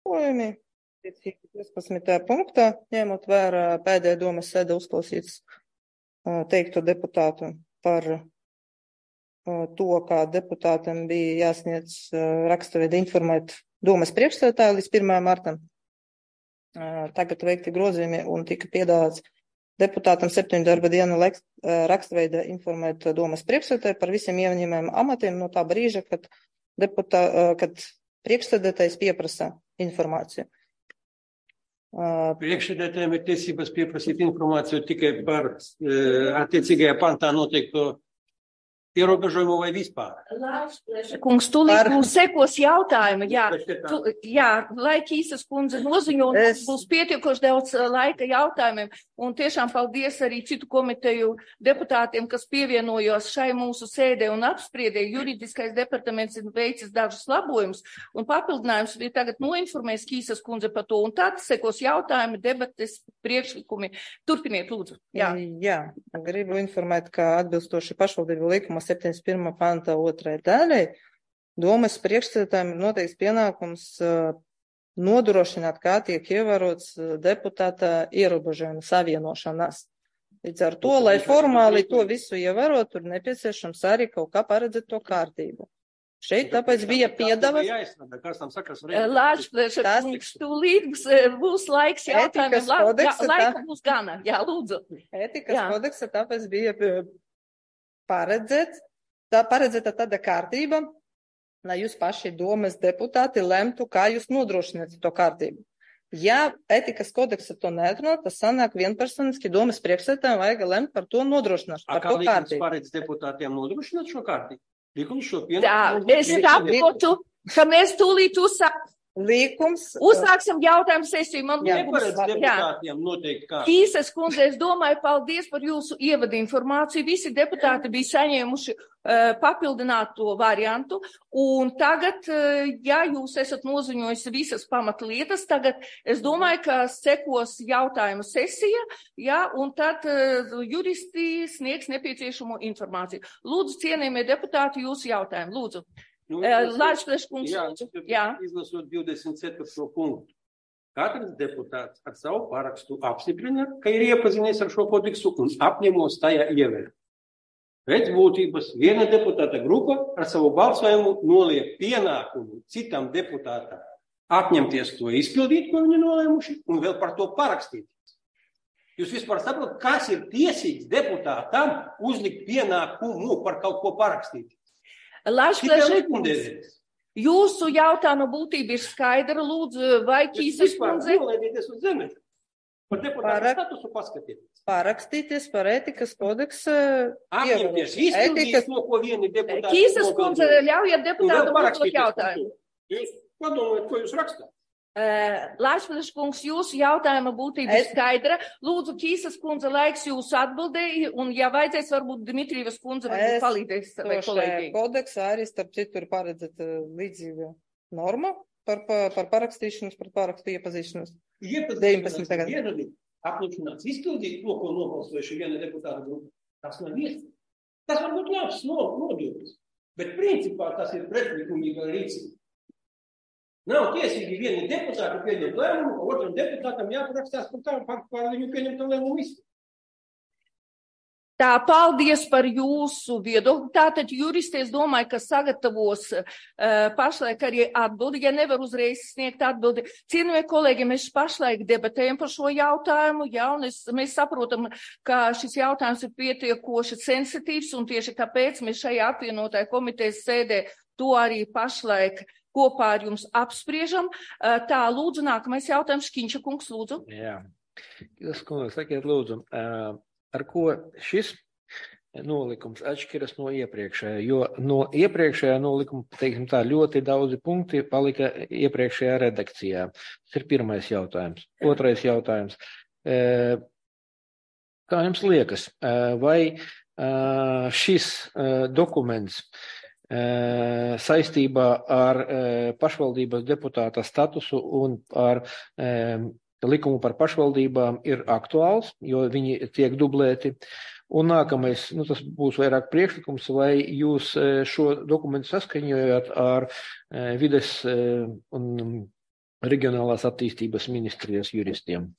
Pojumi 15. punktā, ņemot vērā pēdējā domas sēde uzklausīts teikto deputātu par to, kā deputātam bija jāsniedz rakstaveida informēt domas priekšsēdētāju līdz 1. martam. Tagad veikti grozījumi un tika piedāvāts deputātam 7 darba dienu rakstveida informēt domas priekšsēdētāju par visiem ieņemamiem amatiem no tā brīža, kad priekšsēdētājs pieprasa informāciju. Priekšsēdētājiem ir tiesības pieprasīt informāciju tikai par attiecīgajā pantā noteikto ierobežojumu vai vispār. Kungs, tūlīt būs sekos jautājumi, lai Kīsas kundze noziņo, un būs pietiekoši daudz laika jautājumiem, un tiešām paldies arī citu komiteju deputātiem, kas pievienojos šai mūsu sēdē un apspriedē. Juridiskais departaments ir veicis dažus labojumus, un papildinājums bija tagad noinformēs Kīsas kundze par to, un tad sekos jautājumi, debates, priekšlikumi. Turpiniet, lūdzu. Jā, gribu informēt, ka atbilstoši pašvaldību likuma 71. panta 2. daļai, domas priekšsēdētājiem ir noteikts pienākums nodrošināt, kā tiek ievērots deputāta ierobežojuma savienošanās. Līdz ar to, lai formāli to visu ievērot, tur nepieciešams arī kaut kā paredzēt to kārtību. Šeit tāpēc bija piedāvāts. Lāčplēša, tūlīt būs laiks jautājumiem, laika būs gana. Jā, lūdzu. Ētikas kodeksa tāpēc bija paredzēta tāda kārtība, lai jūs paši domas deputāti lemtu, kā jūs nodrošināt to kārtību. Ja ētikas kodeksa to neatrunā, tas sanāk vienpersoniski domas priekšsēdētājiem vajag lemt par to nodrošināšanu, par to kārtību. Kā likums paredz deputātiem nodrošināt šo kārtību? Likums šo pienākumu. Es saprotu, ka mēs tūlīt uzsāksim jautājumu sesiju. Man neparedz deputātiem noteikti kā. Kīsas kundze, es domāju, paldies par jūsu ievadu informāciju. Visi deputāti bija saņēmuši papildināto variantu. Un tagad, ja jūs esat noziņojis visas pamatlietas, tagad es domāju, ka sekos jautājumu sesija, un tad juristi sniegs nepieciešamo informāciju. Lūdzu, cienījamie deputāti, jūsu jautājumu. Lūdzu. Izlasot 24. punktu. Katrs deputāts ar savu parakstu apstiprina, ka ir iepazinies ar šo kodeksu un apņemos tajā ievērot. Pēc būtības viena deputāta grupa ar savu balsojumu noliek pienākumu citam deputātam apņemties to izpildīt, ko viņi nolēmuši, un vēl par to parakstīties. Jūs vispār saprotat, kas ir tiesīgs deputātam uzlikt pienākumu par kaut ko parakstīties? Jūsu jautājuma būtība ir skaidra, lūdzu, vai Kīsas kundze? Par deputātu statusu paskatieties. Parakstīties par ētikas kodeksa. Apņemties izpildīt to, ko vieni deputāti. Kīsas kundze, ļaujiet deputātu uzdot jautājumu. Jūs padomājat, ko jūs rakstāt? Lāčplēša kungs, jūsu jautājuma būtība ir skaidra. Lūdzu, Kīsas kundze, laiks jūsu atbildēji, un, ja vajadzēs, varbūt Dmitrijevas kundze varbūt palīdzēs savai kolēģi. Kodeksā arī starp citu ir paredzēta līdzīga norma par parakstīšanos, par parakstu iepazīšanos. 19. gada. Apņemšanās izpildīt to, ko nobalsojuši viena deputāta grupa. Tas nav iespējams. Tas var būt labs nodoklis, bet principā tas ir pretlikumīga rīcība. Nav tiesīgi vieni deputāti pieņemt lēmumu, otram deputātam jāparakstās par viņu pieņemtu lēmumu izpildi. Tā, paldies par jūsu viedokli. Tātad juristi, es domāju, ka sagatavos pašlaik arī atbildi, ja nevar uzreiz sniegt atbildi. Cienījamie kolēģi, mēs pašlaik debatējam par šo jautājumu, un mēs saprotam, ka šis jautājums ir pietiekoši sensitīvs, un tieši tāpēc mēs šajā apvienotāja komitejas sēdē to arī pašlaik kopā ar jums apspriežam. Tā, lūdzu, nākamais jautājums, Škiņša kungs, lūdzu. Jā, jūs, kungs, sakiet, lūdzu, ar ko šis nolikums atšķiras no iepriekšējā, jo no iepriekšējā nolikuma, teiksim tā, ļoti daudzi punkti palika iepriekšējā redakcijā. Tas ir pirmais jautājums. Otrais jautājums. Kā jums liekas, vai šis dokuments saistībā ar pašvaldības deputāta statusu un ar likumu par pašvaldībām ir aktuāls, jo viņi tiek dublēti. Un nākamais, tas būs vairāk priekšlikums, vai jūs šo dokumentu saskaņojat ar vides un Reģionālās attīstības ministrijas juristiem.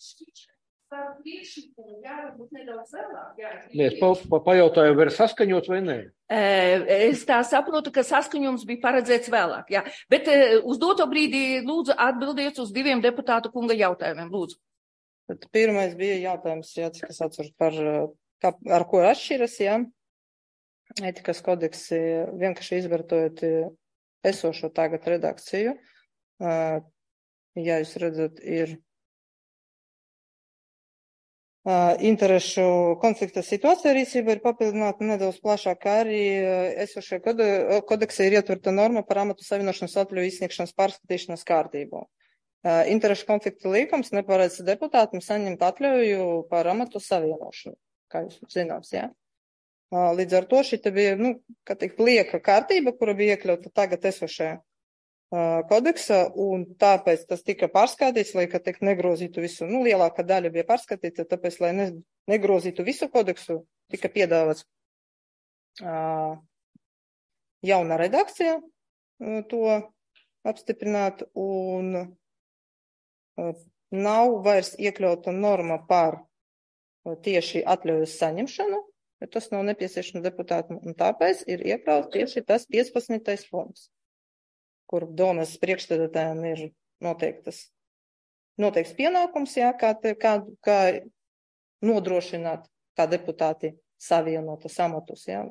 Es pajautāju, vai ir saskaņots vai nē? Es tā saprotu, ka saskaņojums bija paredzēts vēlāk, jā. Bet uz doto brīdī lūdzu atbildiet uz 2 deputātu kunga jautājumiem, lūdzu. Tad pirmais bija jautājums, jā, cik es atceros par, ar ko atšķiras, jā. Ētikas kodeksi vienkārši izvērtojot esošo tagad redakciju. Ja jūs redzat, ir interešu konflikta situācija rīcība ir papildināta nedaudz plašāk, kā arī esošie kodeksī ir ietverta norma par amatu savienošanas atļauju izsniegšanas pārskatīšanas kārtību. Interešu konflikta līgums neparedz deputātam saņemt atļauju par amatu savienošanu, kā jūs zināms, jā. Līdz ar to šī bija, kā teikt, lieka kārtība, kura bija iekļauta tagad esošajā kodeksa, un tāpēc tas tika pārskatīts, lai, kā teikt, negrozītu visu, lielākā daļa bija pārskatīta, tāpēc, lai negrozītu visu kodeksu, tika piedāvāts jauna redakcija to apstiprināt, un nav vairs iekļauta norma par tieši atļaujas saņemšanu, bet tas nav nepieciešams deputātam, un tāpēc ir iekļauts tieši tas 15. punkts, kur domas priekšstādātājiem ir noteikts pienākums, jā, kā nodrošināt, kā deputāti savienotas amatus, jā.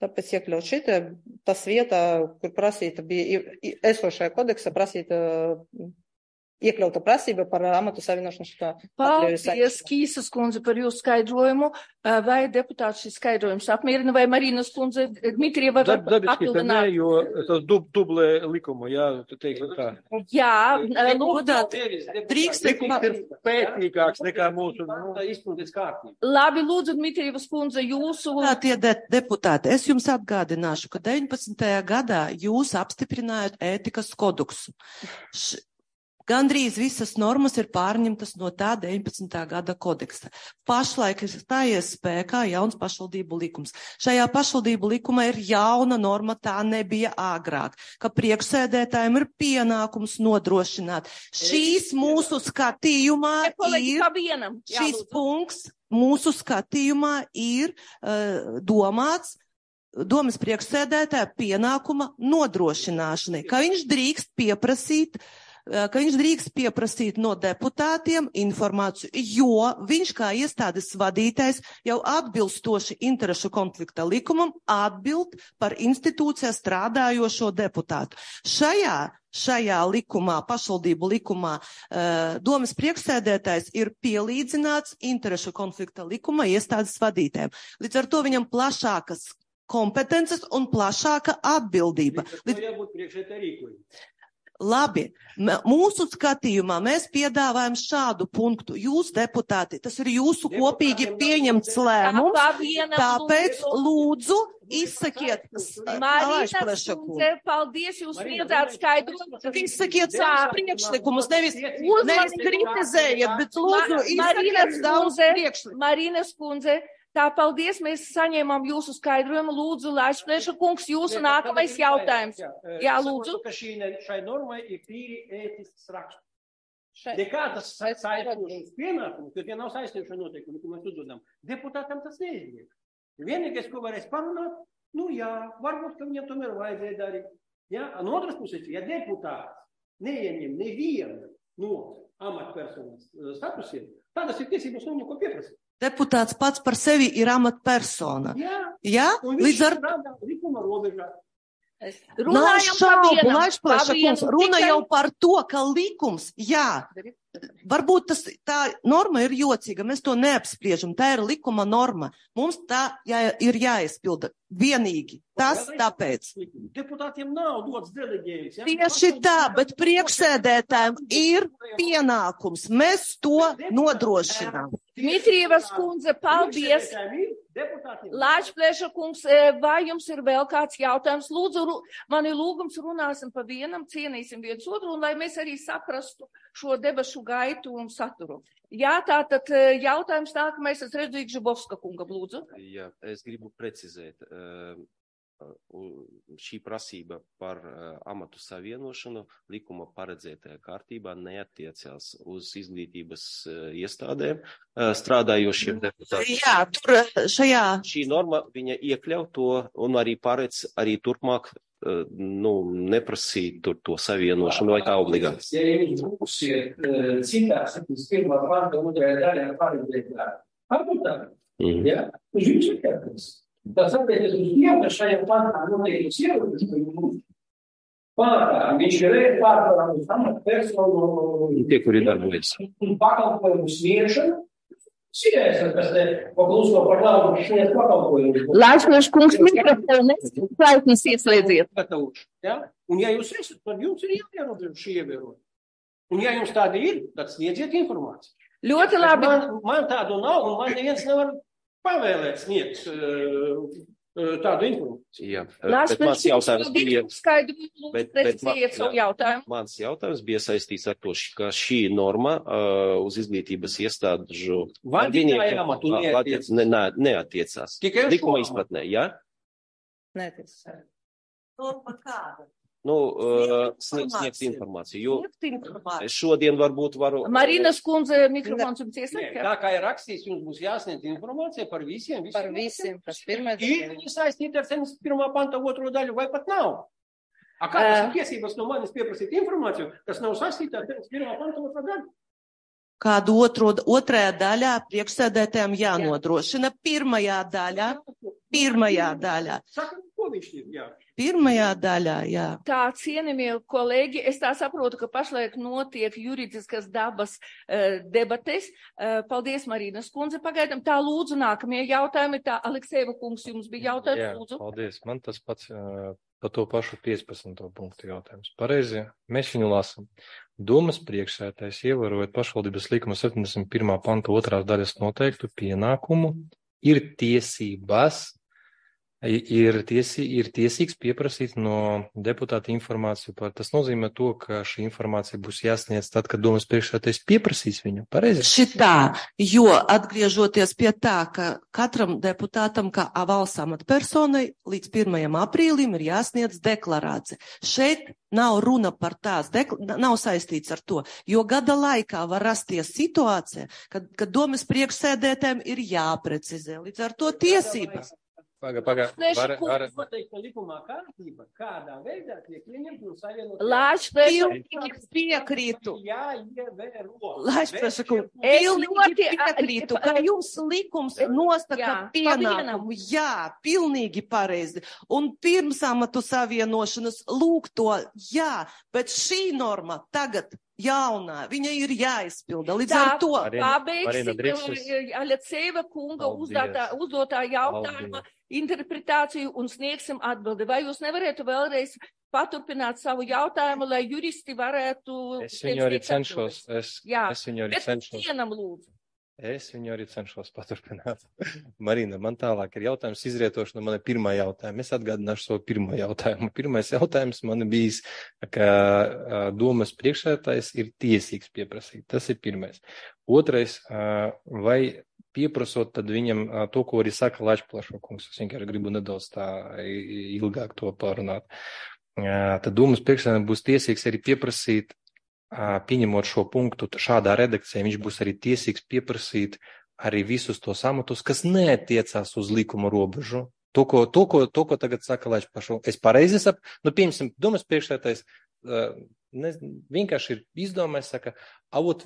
Tāpēc iekļaut šitā, tas vietā, kur prasīta bija esošajā kodeksa prasīta iekļauta prasība par amatu savienošanu. Paldies, Kīsas kundze, par jūsu skaidrojumu. Vai deputāts šis skaidrojums apmierina, vai Marinas kundze Dmitrieva var papildināt? Nē, jo tas dublē likumu, jā, tu teiksi tā. Jā, lūdāt, drīkst likums ir pētīgāks nekā mūsu. Labi, lūdzu, Dmitrievas kundze, jūsu. Tie deputāti, es jums atgādināšu, ka 19. gadā jūs apstiprinājāt ētikas kodeksu. Gandrīz visas normas ir pārņemtas no tā 19. gada kodeksa. Pašlaik ir stājies spēkā jauns pašvaldību likums. Šajā pašvaldību likumā ir jauna norma, tā nebija agrāk, ka priekšsēdētājiem ir pienākums nodrošināt. Šīs mūsu skatījumā šis punkts mūsu skatījumā ir domāts domas priekšsēdētāja pienākuma nodrošināšanai, ka viņš drīkst pieprasīt no deputātiem informāciju, jo viņš kā iestādes vadītājs jau atbilstoši interešu konflikta likumam atbild par institūcijā strādājošo deputātu. Šajā likumā, pašvaldību likumā, domas priekšsēdētājs ir pielīdzināts interešu konflikta likuma iestādes vadītājiem. Līdz ar to viņam plašākas kompetences un plašāka atbildība. Labi, mūsu skatījumā mēs piedāvājam šādu punktu. Jūs, deputāti, tas ir jūsu kopīgi pieņemts lēmums, tāpēc lūdzu izsakiet. Marīnas kundze, paldies, jūs sniedzāt skaidrojumu. Izsakiet savus priekšlikumus, nevis kritizējiet, bet lūdzu izsakiet savus priekšlikumus. Marīnas kundze, tā, paldies, mēs saņēmām jūsu skaidrojumu. Lūdzu, Laišplēša kungs, jūsu nākamais jautājums. Jā, lūdzu. Šai normai ir tīri ētisks raksts. Nekādas saistīšanas pienākumu, ka tie nav saistīšana noteikumi, ko mēs uzdodam. Deputātam tas neizliek. Vienīgais, ko varēs parunāt, varbūt, ka viņam tomēr vajadzēja darīt. Ja? No otras puses, ja deputāts neieņem nevienu no amatpersonas statusiem, tādas ir tiesības no ko pieprasīt. Deputāts pats par sevi ir amatpersona. Jā? Līdz ar likuma robežā. Nav šaubu, Laišplēša kungs, runa jau par to, ka likums, varbūt tā norma ir jocīga, mēs to neapspriežam, tā ir likuma norma. Mums tā ir jāizpilda vienīgi. Tas tāpēc. Deputātiem nav dots deleģējums. Tieši tā, bet priekšsēdētājiem ir pienākums. Mēs to nodrošinām. Dmitrievas kundze, paldies. Laišplēša kungs, vai jums ir vēl kāds jautājums? Lūdzu, man ir lūgums, runāsim pa vienam, cienīsim viens otru, un lai mēs arī saprastu šo debašu gaitu un saturu. Jā, tātad jautājums nākamais, es redzu Žibovska kunga, lūdzu. Jā, es gribu precizēt. šī prasība par amatu savienošanu likuma paredzētajā kārtībā neattiecās uz izglītības iestādēm strādājošiem deputātiem. Jā, tur šajā. Šī norma, viņa iekļauj to un arī paredz arī turpmāk neprasīt tur to savienošanu vai kā obligāti. Ja jūs būsiet citā 71. panta 2. daļā paredzētā amatā, ja, uz jums ir jāpēc. Tas attiecas uz tiem, ka šajā pantā noteikts ierobežojums pamatā. Viņš ir pārvarams amatpersonu Tie, kuri darbojas. un pakalpojumu sniegšanu. Sīdēs, kas te pakluso par labu šeit pakalpojumu. Laišnoši kungs mikrofonu neslēgtnes ieslēdziet. Ja? Un ja jūs esat, tad jums ir jāierobežo šī ievērojuma. Un ja jums tāda ir, tad sniedziet informāciju. Ļoti labi. Man tādu nav, un man neviens nevar pavēlēt sniegt tādu informāciju. Jā, bet mans jautājums bija... Precizējiet savu jautājumu. Mans jautājums bija saistīts ar to, ka šī norma uz izglītības iestādžu Vadītāja amatu neatiecās. Tikai Likuma izpratnē, jā? Neatiecas. Norma kāda? Sniegt informāciju, jo šodien varbūt varu... Marinas kundze, mikrofons jums Nē, ieslēgt. tā kā ir rakstīts, jums būs jāsniedz informācija par visiem. Par visiem, kas pirmais. Ir viņi saistīti ar 71. panta 2. daļu, vai pat nav? A kā tas ir tiesības no manis pieprasīt informāciju, kas nav saistīta ar 71. panta 2. daļu? Kādu otrajā daļā priekšsēdētājiem jānodrošina. Pirmajā daļā. Saka, ko viņš ir? Jā. Pirmajā daļā, jā. Tā, cienījamie kolēģi, es tā saprotu, ka pašlaik notiek juridiskas dabas debates. Paldies, Marinas kundze. Pagaidām tā lūdzu nākamie jautājumi. Tā, Aleksejeva kungs, jums bija jautājums, lūdzu. Paldies. Man tas pats par to pašu 15. punktu jautājums. Pareizi, mēs viņu lasam. Domas priekšsēdētājs ievērojot pašvaldības likuma 71. panta 2. daļas noteiktu pienākumu ir tiesības. Ir tiesīgs pieprasīt no deputāta informāciju par. Tas nozīmē to, ka šī informācija būs jāsniedz tad, kad domas priekšsēdētājs pieprasīs viņu. Pareizi? Šitā, jo atgriežoties pie tā, ka katram deputātam, kā valsts amatpersonai, līdz 1. aprīlim ir jāsniedz deklarācija. Šeit nav runa par tās, nav saistīts ar to, jo gada laikā var rasties situācija, kad domas priekšsēdētājiem ir jāprecizē. Līdz ar to tiesības. Noteikta likumā kārtība, kādā veidā tiek ieņemt un savienot. Pilnīgi piekrītu. Pilnīgi piekrītu, ka jums likums nosaka pienākumu. Jā, pilnīgi pareizi. Un pirms amatu savienošanas lūk to, jā, bet šī norma tagad jaunā, viņa ir jāizpilda. Līdz ar to. Pabeigsim Aleceva kunga uzdotā jautājuma interpretāciju un sniegsim atbildi. Vai jūs nevarētu vēlreiz paturpināt savu jautājumu, lai juristi varētu... Es viņu arī cenšos. Es viņu arī cenšos paturpināt. Marina, man tālāk ir jautājums izrietoši no mana pirmā jautājuma. Es atgādināšu savu pirmo jautājumu. Pirmais jautājums man bijis, ka domas priekšsēdētājs ir tiesīgs pieprasīt. Tas ir pirmais. Otrais, vai pieprasot tad viņam to, ko arī saka Lačplašo kungs. Es vienkārši gribu nedaudz tā ilgāk to pārunāt. Tad domas priekšsēdētājiem būs tiesīgs arī pieprasīt, pieņemot šo punktu šādā redakcijā, viņš būs arī tiesīgs pieprasīt arī visus tos amatus, kas neatiecās uz likuma robežu. To, ko tagad saka Lačplašo. Es pareizi saprotu, piemēram, domas priekšsēdētājs vienkārši ir izdomājis, saka,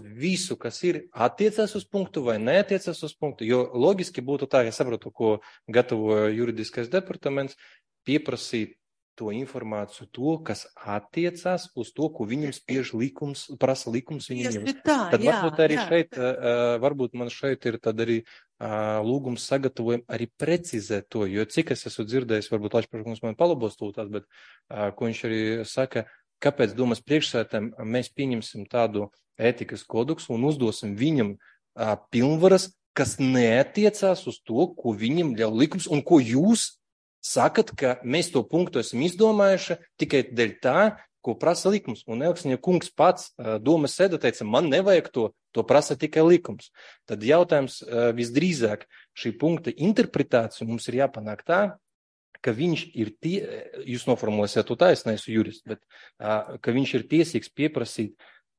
visu, kas ir, attiecās uz punktu vai neatiecās uz punktu, jo loģiski būtu tā, ja saprotu, ko gatavoja juridiskais departaments, pieprasīt to informāciju, to, kas attiecās uz to, ko viņam spiež likums, prasa likums viņam. Tad varbūt arī šeit, varbūt man šeit ir tad arī lūgums sagatavojam arī precizēt to, jo cik es esmu dzirdējis, varbūt Lačplaškungs man palabos tūtās, bet ko viņš arī saka, kāpēc domas priekšsēdētājiem mēs pieņemsim tādu ētikas kodeksu un uzdosim viņam pilnvaras, kas neatiecās uz to, ko viņam ļauj likums un ko jūs sakat, ka mēs to punktu esam izdomājuši tikai dēļ tā, ko prasa likums. Un Elksniņa kungs pats domas sēdē teica, man nevajag to prasa tikai likums. Tad jautājums visdrīzāk šī punkta interpretācija mums ir jāpanāk tā, ka viņš ir, jūs noformulēsiet to taisnē, esmu jurists, bet ka viņš ir tiesīgs pieprasīt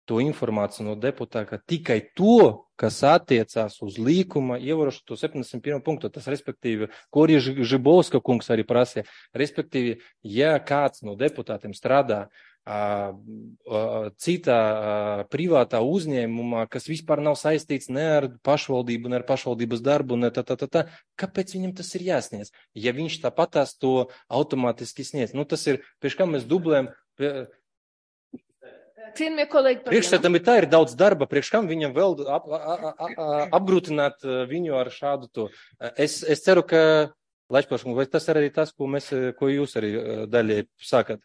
to informāciju no deputāta tikai to, kas attiecās uz līkuma ievarošanu to 71. punktu. Tas, respektīvi, ko arī Žibovska kungs arī prasīja, respektīvi, ja kāds no deputātiem strādā citā privātā uzņēmumā, kas vispār nav saistīts ne ar pašvaldību, ne ar pašvaldības darbu, ne kāpēc viņam tas ir jāsniedz? Ja viņš tāpatās to automātiski sniedz, tas ir, priekš kā mēs dublējam, Cienījamie kolēģi, priekšsēdam ir tā, ir daudz darba, priekš kam viņam vēl apgrūtināt viņu ar šādu to. Es ceru, ka, Laičplaškungs, vai tas arī tas, ko jūs arī daļai sākat?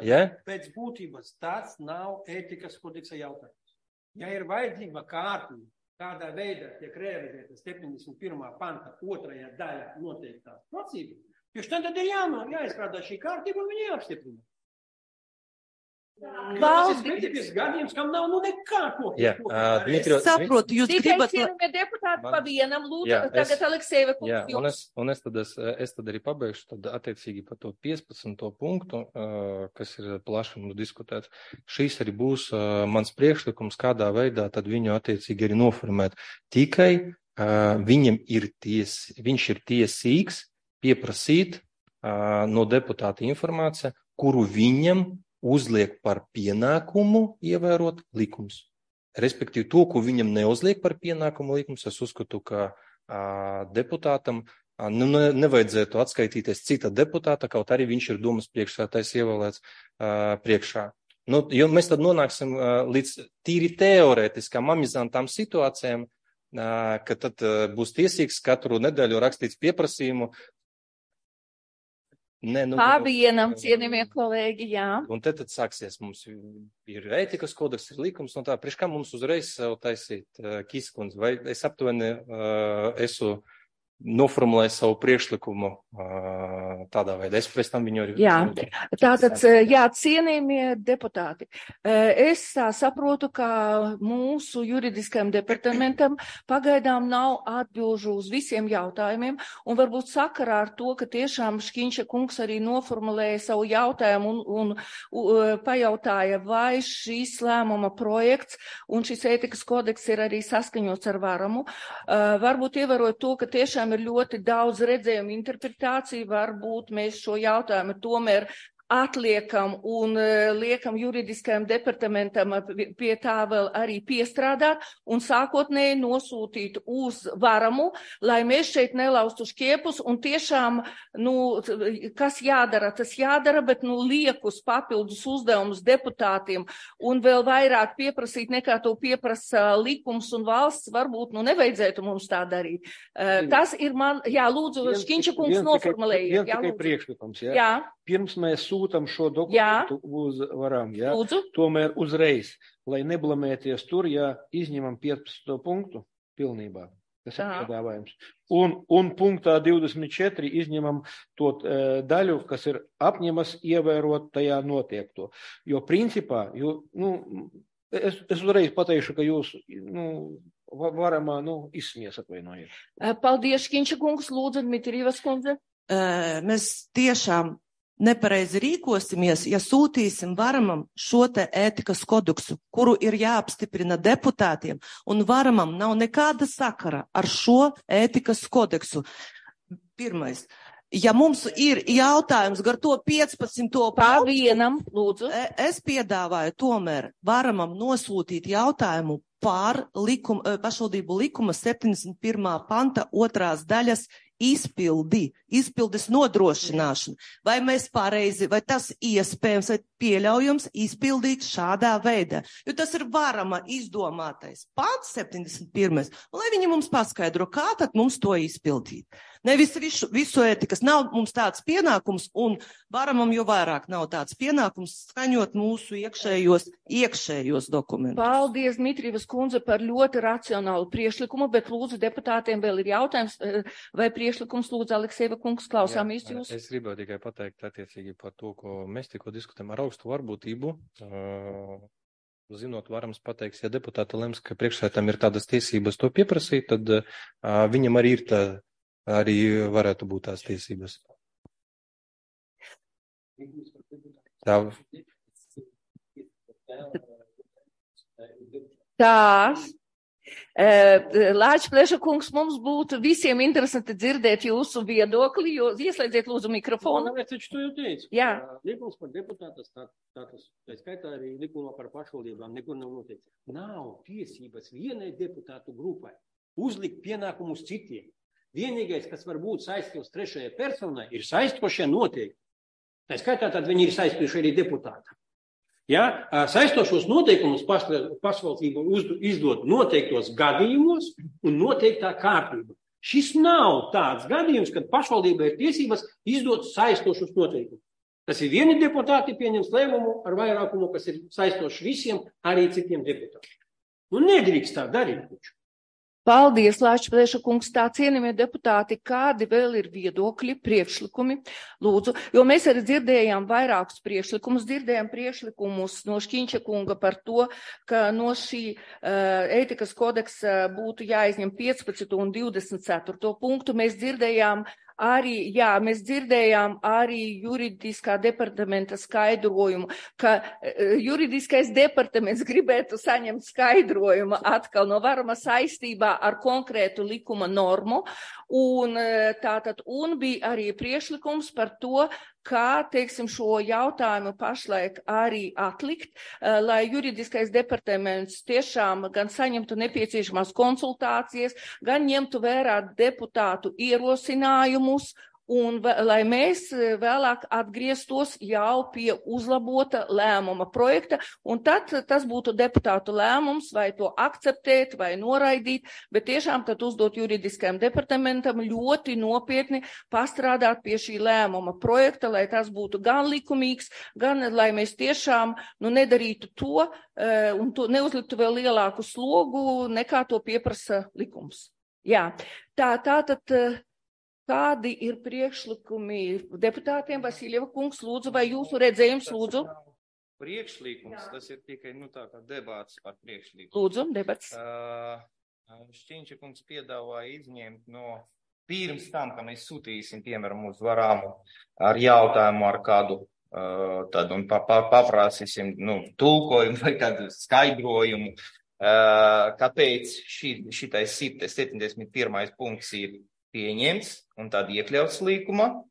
Ja? Pēc būtības tāds nav ētikas kodeksa jautājums. Ja ir vajadzība kārtība, kādā veidā tiek realizēta 71. panta 2. daļa noteiktās prasības, tad ir jāizstrādā šī kārtība un viņi jāapstiprina. Tas ir specifisks gadījums, kam nav nekā ko. Es saprotu, jūs gribat... Tikai cienījamie deputāti pa vienam, lūdzu, tagad Aleksejeva kungs. Es tad arī pabeigšu, tad attiecīgi par to 15. punktu, kas ir plaši mums diskutēts. Šīs arī būs mans priekšlikums, kādā veidā tad viņu attiecīgi arī noformēt. Tikai viņš ir tiesīgs pieprasīt no deputāta informāciju, kuru viņam uzliek par pienākumu ievērot likums. Respektīvi, to, ko viņam neuzliek par pienākumu likums, es uzskatu, ka deputātam nevajadzētu atskaitīties cita deputāta, kaut arī viņš ir domas priekšsēdētājs ievēlēts priekšā. Jo mēs tad nonāksim līdz tīri teorētiskām amizantām situācijām, ka tad būs tiesīgs katru nedēļu rakstīts pieprasījumu. Vienam, cienījamie kolēģi, jā. Un tad sāksies, mums ir ētikas kodeks, ir likums, un tā, priekš kā mums uzreiz sev taisīt Kīskundze, vai es aptuveni esmu noformulējis savu priekšlikumu tādā veidā. Es pēc tam viņu arī... Jā, tātad, cienījamie deputāti, es saprotu, ka mūsu juridiskajam departamentam pagaidām nav atbilžu uz visiem jautājumiem, un varbūt sakarā ar to, ka tiešām Škiņša kungs arī noformulēja savu jautājumu un pajautāja, vai šīs lēmuma projekts un šis ētikas kodeks ir arī saskaņots ar varamu. Varbūt ievērot to, ka tiešām ir ļoti daudz redzējumu interpretāciju, varbūt mēs šo jautājumu tomēr atliekam un liekam juridiskajam departamentam pie tā vēl arī piestrādāt un sākotnēji nosūtīt uz varamu, lai mēs šeit nelaustu šķiepus un tiešām, kas jādara, tas jādara, bet liekus papildus uzdevumus deputātiem un vēl vairāk pieprasīt nekā to pieprasa likums un valsts, varbūt nevajadzētu mums tā darīt. Tas ir man, lūdzu, Škiņša kungs noformulējiet. Tikai priekšlikums, Jā. Pirms mēs sūtam šo dokumentu uz varam, tomēr uzreiz, lai neblamēties tur, izņemam 15. punktu pilnībā. Tas ir piedāvājums. Un punktā 24 izņemam to daļu, kas ir apņemas ievērot tajā notiekto. Jo principā, es uzreiz pateikšu, ka jūs, varamā, izsmies atvainojiet. Paldies, Škiņša kungs, lūdzu, Dmitrijevas kundze. Mēs tiešām nepareizi rīkosimies, ja sūtīsim varamam šo te ētikas kodeksu, kuru ir jāapstiprina deputātiem, un varamam nav nekāda sakara ar šo ētikas kodeksu. Pirmais. Ja mums ir jautājums gar to 15. vienam, lūdzu. Es piedāvāju tomēr varamam nosūtīt jautājumu par pašvaldību likuma 71. panta 2. daļas izpildes nodrošināšanu. Vai mēs pareizi, vai tas iespējams, vai pieļaujams izpildīt šādā veidā. Jo tas ir varama izdomātais pants 71. Lai viņi mums paskaidro, kā tad mums to izpildīt. Nevis visu ētikas nav mums tāds pienākums, un varamam jo vairāk nav tāds pienākums skaņot mūsu iekšējos dokumentus. Paldies, Dmitrijevas kundze, par ļoti racionālu priekšlikumu, bet lūdzu deputātiem vēl ir jautājums, vai priekšlikums lūdzu Aleksejeva kungs, klausāmies jūs. Es gribēju tikai pateikt attiecīgi par to, ko mēs tikko diskutējam ar augstu varbūtību. Zinot, varams pateiks, ja deputāta lems, ka priekšsēdētājam ir tādas tiesības to pieprasīt, tad viņam arī ir arī varētu būt tās tiesības. Tās. Lāčplēša kungs, mums būtu visiem interesanti dzirdēt jūsu viedokli, jo ieslēdziet lūdzu mikrofonu. Es taču to jau teicu. Jā. Likums par deputātu status, tā skaitā arī likumā par pašvaldībām, nekur nav noteikts. Nav tiesības vienai deputātu grupai uzlikt pienākumus citiem. Vienīgais, kas var būt saistīts trešajai personai, ir saistošie noteikumi. Tā skaitā tad viņi ir saistoši arī deputātam. Ja, saistošos noteikumus pašvaldība izdod noteiktos gadījumos un noteiktā kārtībā. Šis nav tāds gadījums, kad pašvaldība ir tiesības izdot saistošus noteikumus. Tas ir vieni deputāti pieņems lēmumu ar vairākumu, kas ir saistoši visiem, arī citiem deputātiem. Nu, nedrīkst tā darīt. Paldies, Lāčplēša kungs, tā cienījamie deputāti, kādi vēl ir viedokļi, priekšlikumi, lūdzu, jo mēs arī dzirdējām vairākus priekšlikumus, dzirdējām priekšlikumus no Šķiņša kunga par to, ka no šī ētikas kodeksa būtu jāizņem 15 un 24 punktu. Mēs dzirdējām arī juridiskā departamenta skaidrojumu, ka juridiskais departaments gribētu saņemt skaidrojumu atkal no varama saistībā ar konkrētu likuma normu, un bija arī priekšlikums par to, kā, teiksim, šo jautājumu pašlaik arī atlikt, lai juridiskais departaments tiešām gan saņemtu nepieciešamās konsultācijas, gan ņemtu vērā deputātu ierosinājumus, un lai mēs vēlāk atgrieztos jau pie uzlabota lēmuma projekta, un tad tas būtu deputātu lēmums, vai to akceptēt, vai noraidīt, bet tiešām tad uzdot juridiskajam departamentam ļoti nopietni pastrādāt pie šī lēmuma projekta, lai tas būtu gan likumīgs, gan lai mēs tiešām nedarītu to, un to neuzliktu vēl lielāku slogu, nekā to pieprasa likums. Jā, tātad. Kādi ir priekšlikumi deputātiem? Vasiljeva kungs, lūdzu, vai jūsu redzējums, lūdzu? Priekšlikums, tas ir tikai, tā kā debats par priekšlikumu. Lūdzu, debats. Šķiņša kungs piedāvāja izņemt no pirms tam, ka mēs sūtīsim, piemēram, uz varāmu ar jautājumu ar kādu, tad un paprasīsim, tulkojumu vai kādu skaidrojumu, kāpēc šitais 71. punkts ir pieņemts un tad iekļauts līkumā.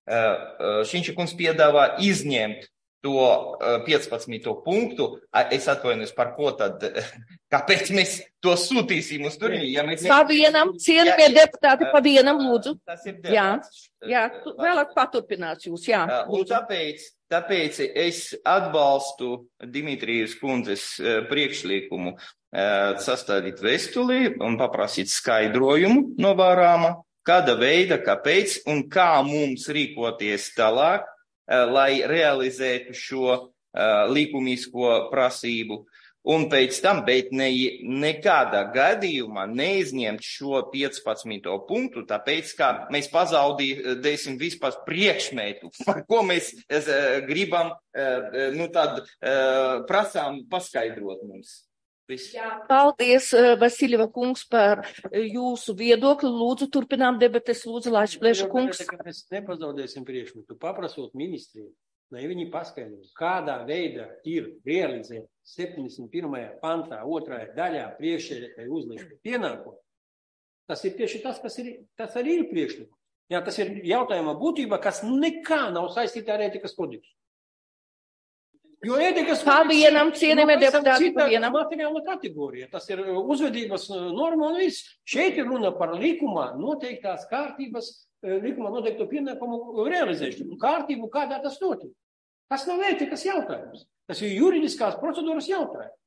Šķiņša kungs piedāvā izņemt to 15. punktu. Es atvainojos par ko tad, kāpēc mēs to sūtīsim uz turieni? Ja mēs... Pavienam, cienījamie deputāti, pavienam, lūdzu. Tas ir debats. Jā, vēlāk paturpināt jūs, jā. Un tāpēc es atbalstu Dimitrijas kundzes priekšlikumu sastādīt vēstuli un paprasīt skaidrojumu no varāma, kāda veida, kāpēc un kā mums rīkoties tālāk, lai realizētu šo likumīsko prasību. Un pēc tam, bet nekādā gadījumā neizņemt šo 15. punktu, tāpēc, ka mēs pazaudīsim vispār priekšmetu, par ko mēs gribam, prasām paskaidrot mums. Jā, paldies, Vasiljeva kungs, par jūsu viedokli. Lūdzu, turpinām debates. Lūdzu, Lāčplēša kungs. Mēs nepazaudēsim priekšmetu. Paprasot ministriem, lai viņi paskaidros, kādā veidā ir realizēta 71. pantā, 2. daļā priekšsēdētāja uzlikta pienākuma. Tas ir tieši tas arī ir priekšlikums. Jā, tas ir jautājuma būtība, kas nekā nav saistīta ar ētikas kodeksu. Jo ētikas pavienam, cienījamie deputāti, pavienam. Materiāla kategorija. Tas ir uzvedības norma un viss. Šeit ir runa par likumā noteiktās kārtības, likumā noteikto pienākumu realizēšanu. Kārtību, kādā tas notiek. Tas nav ētikas jautājums. Tas ir juridiskās procedūras jautājums.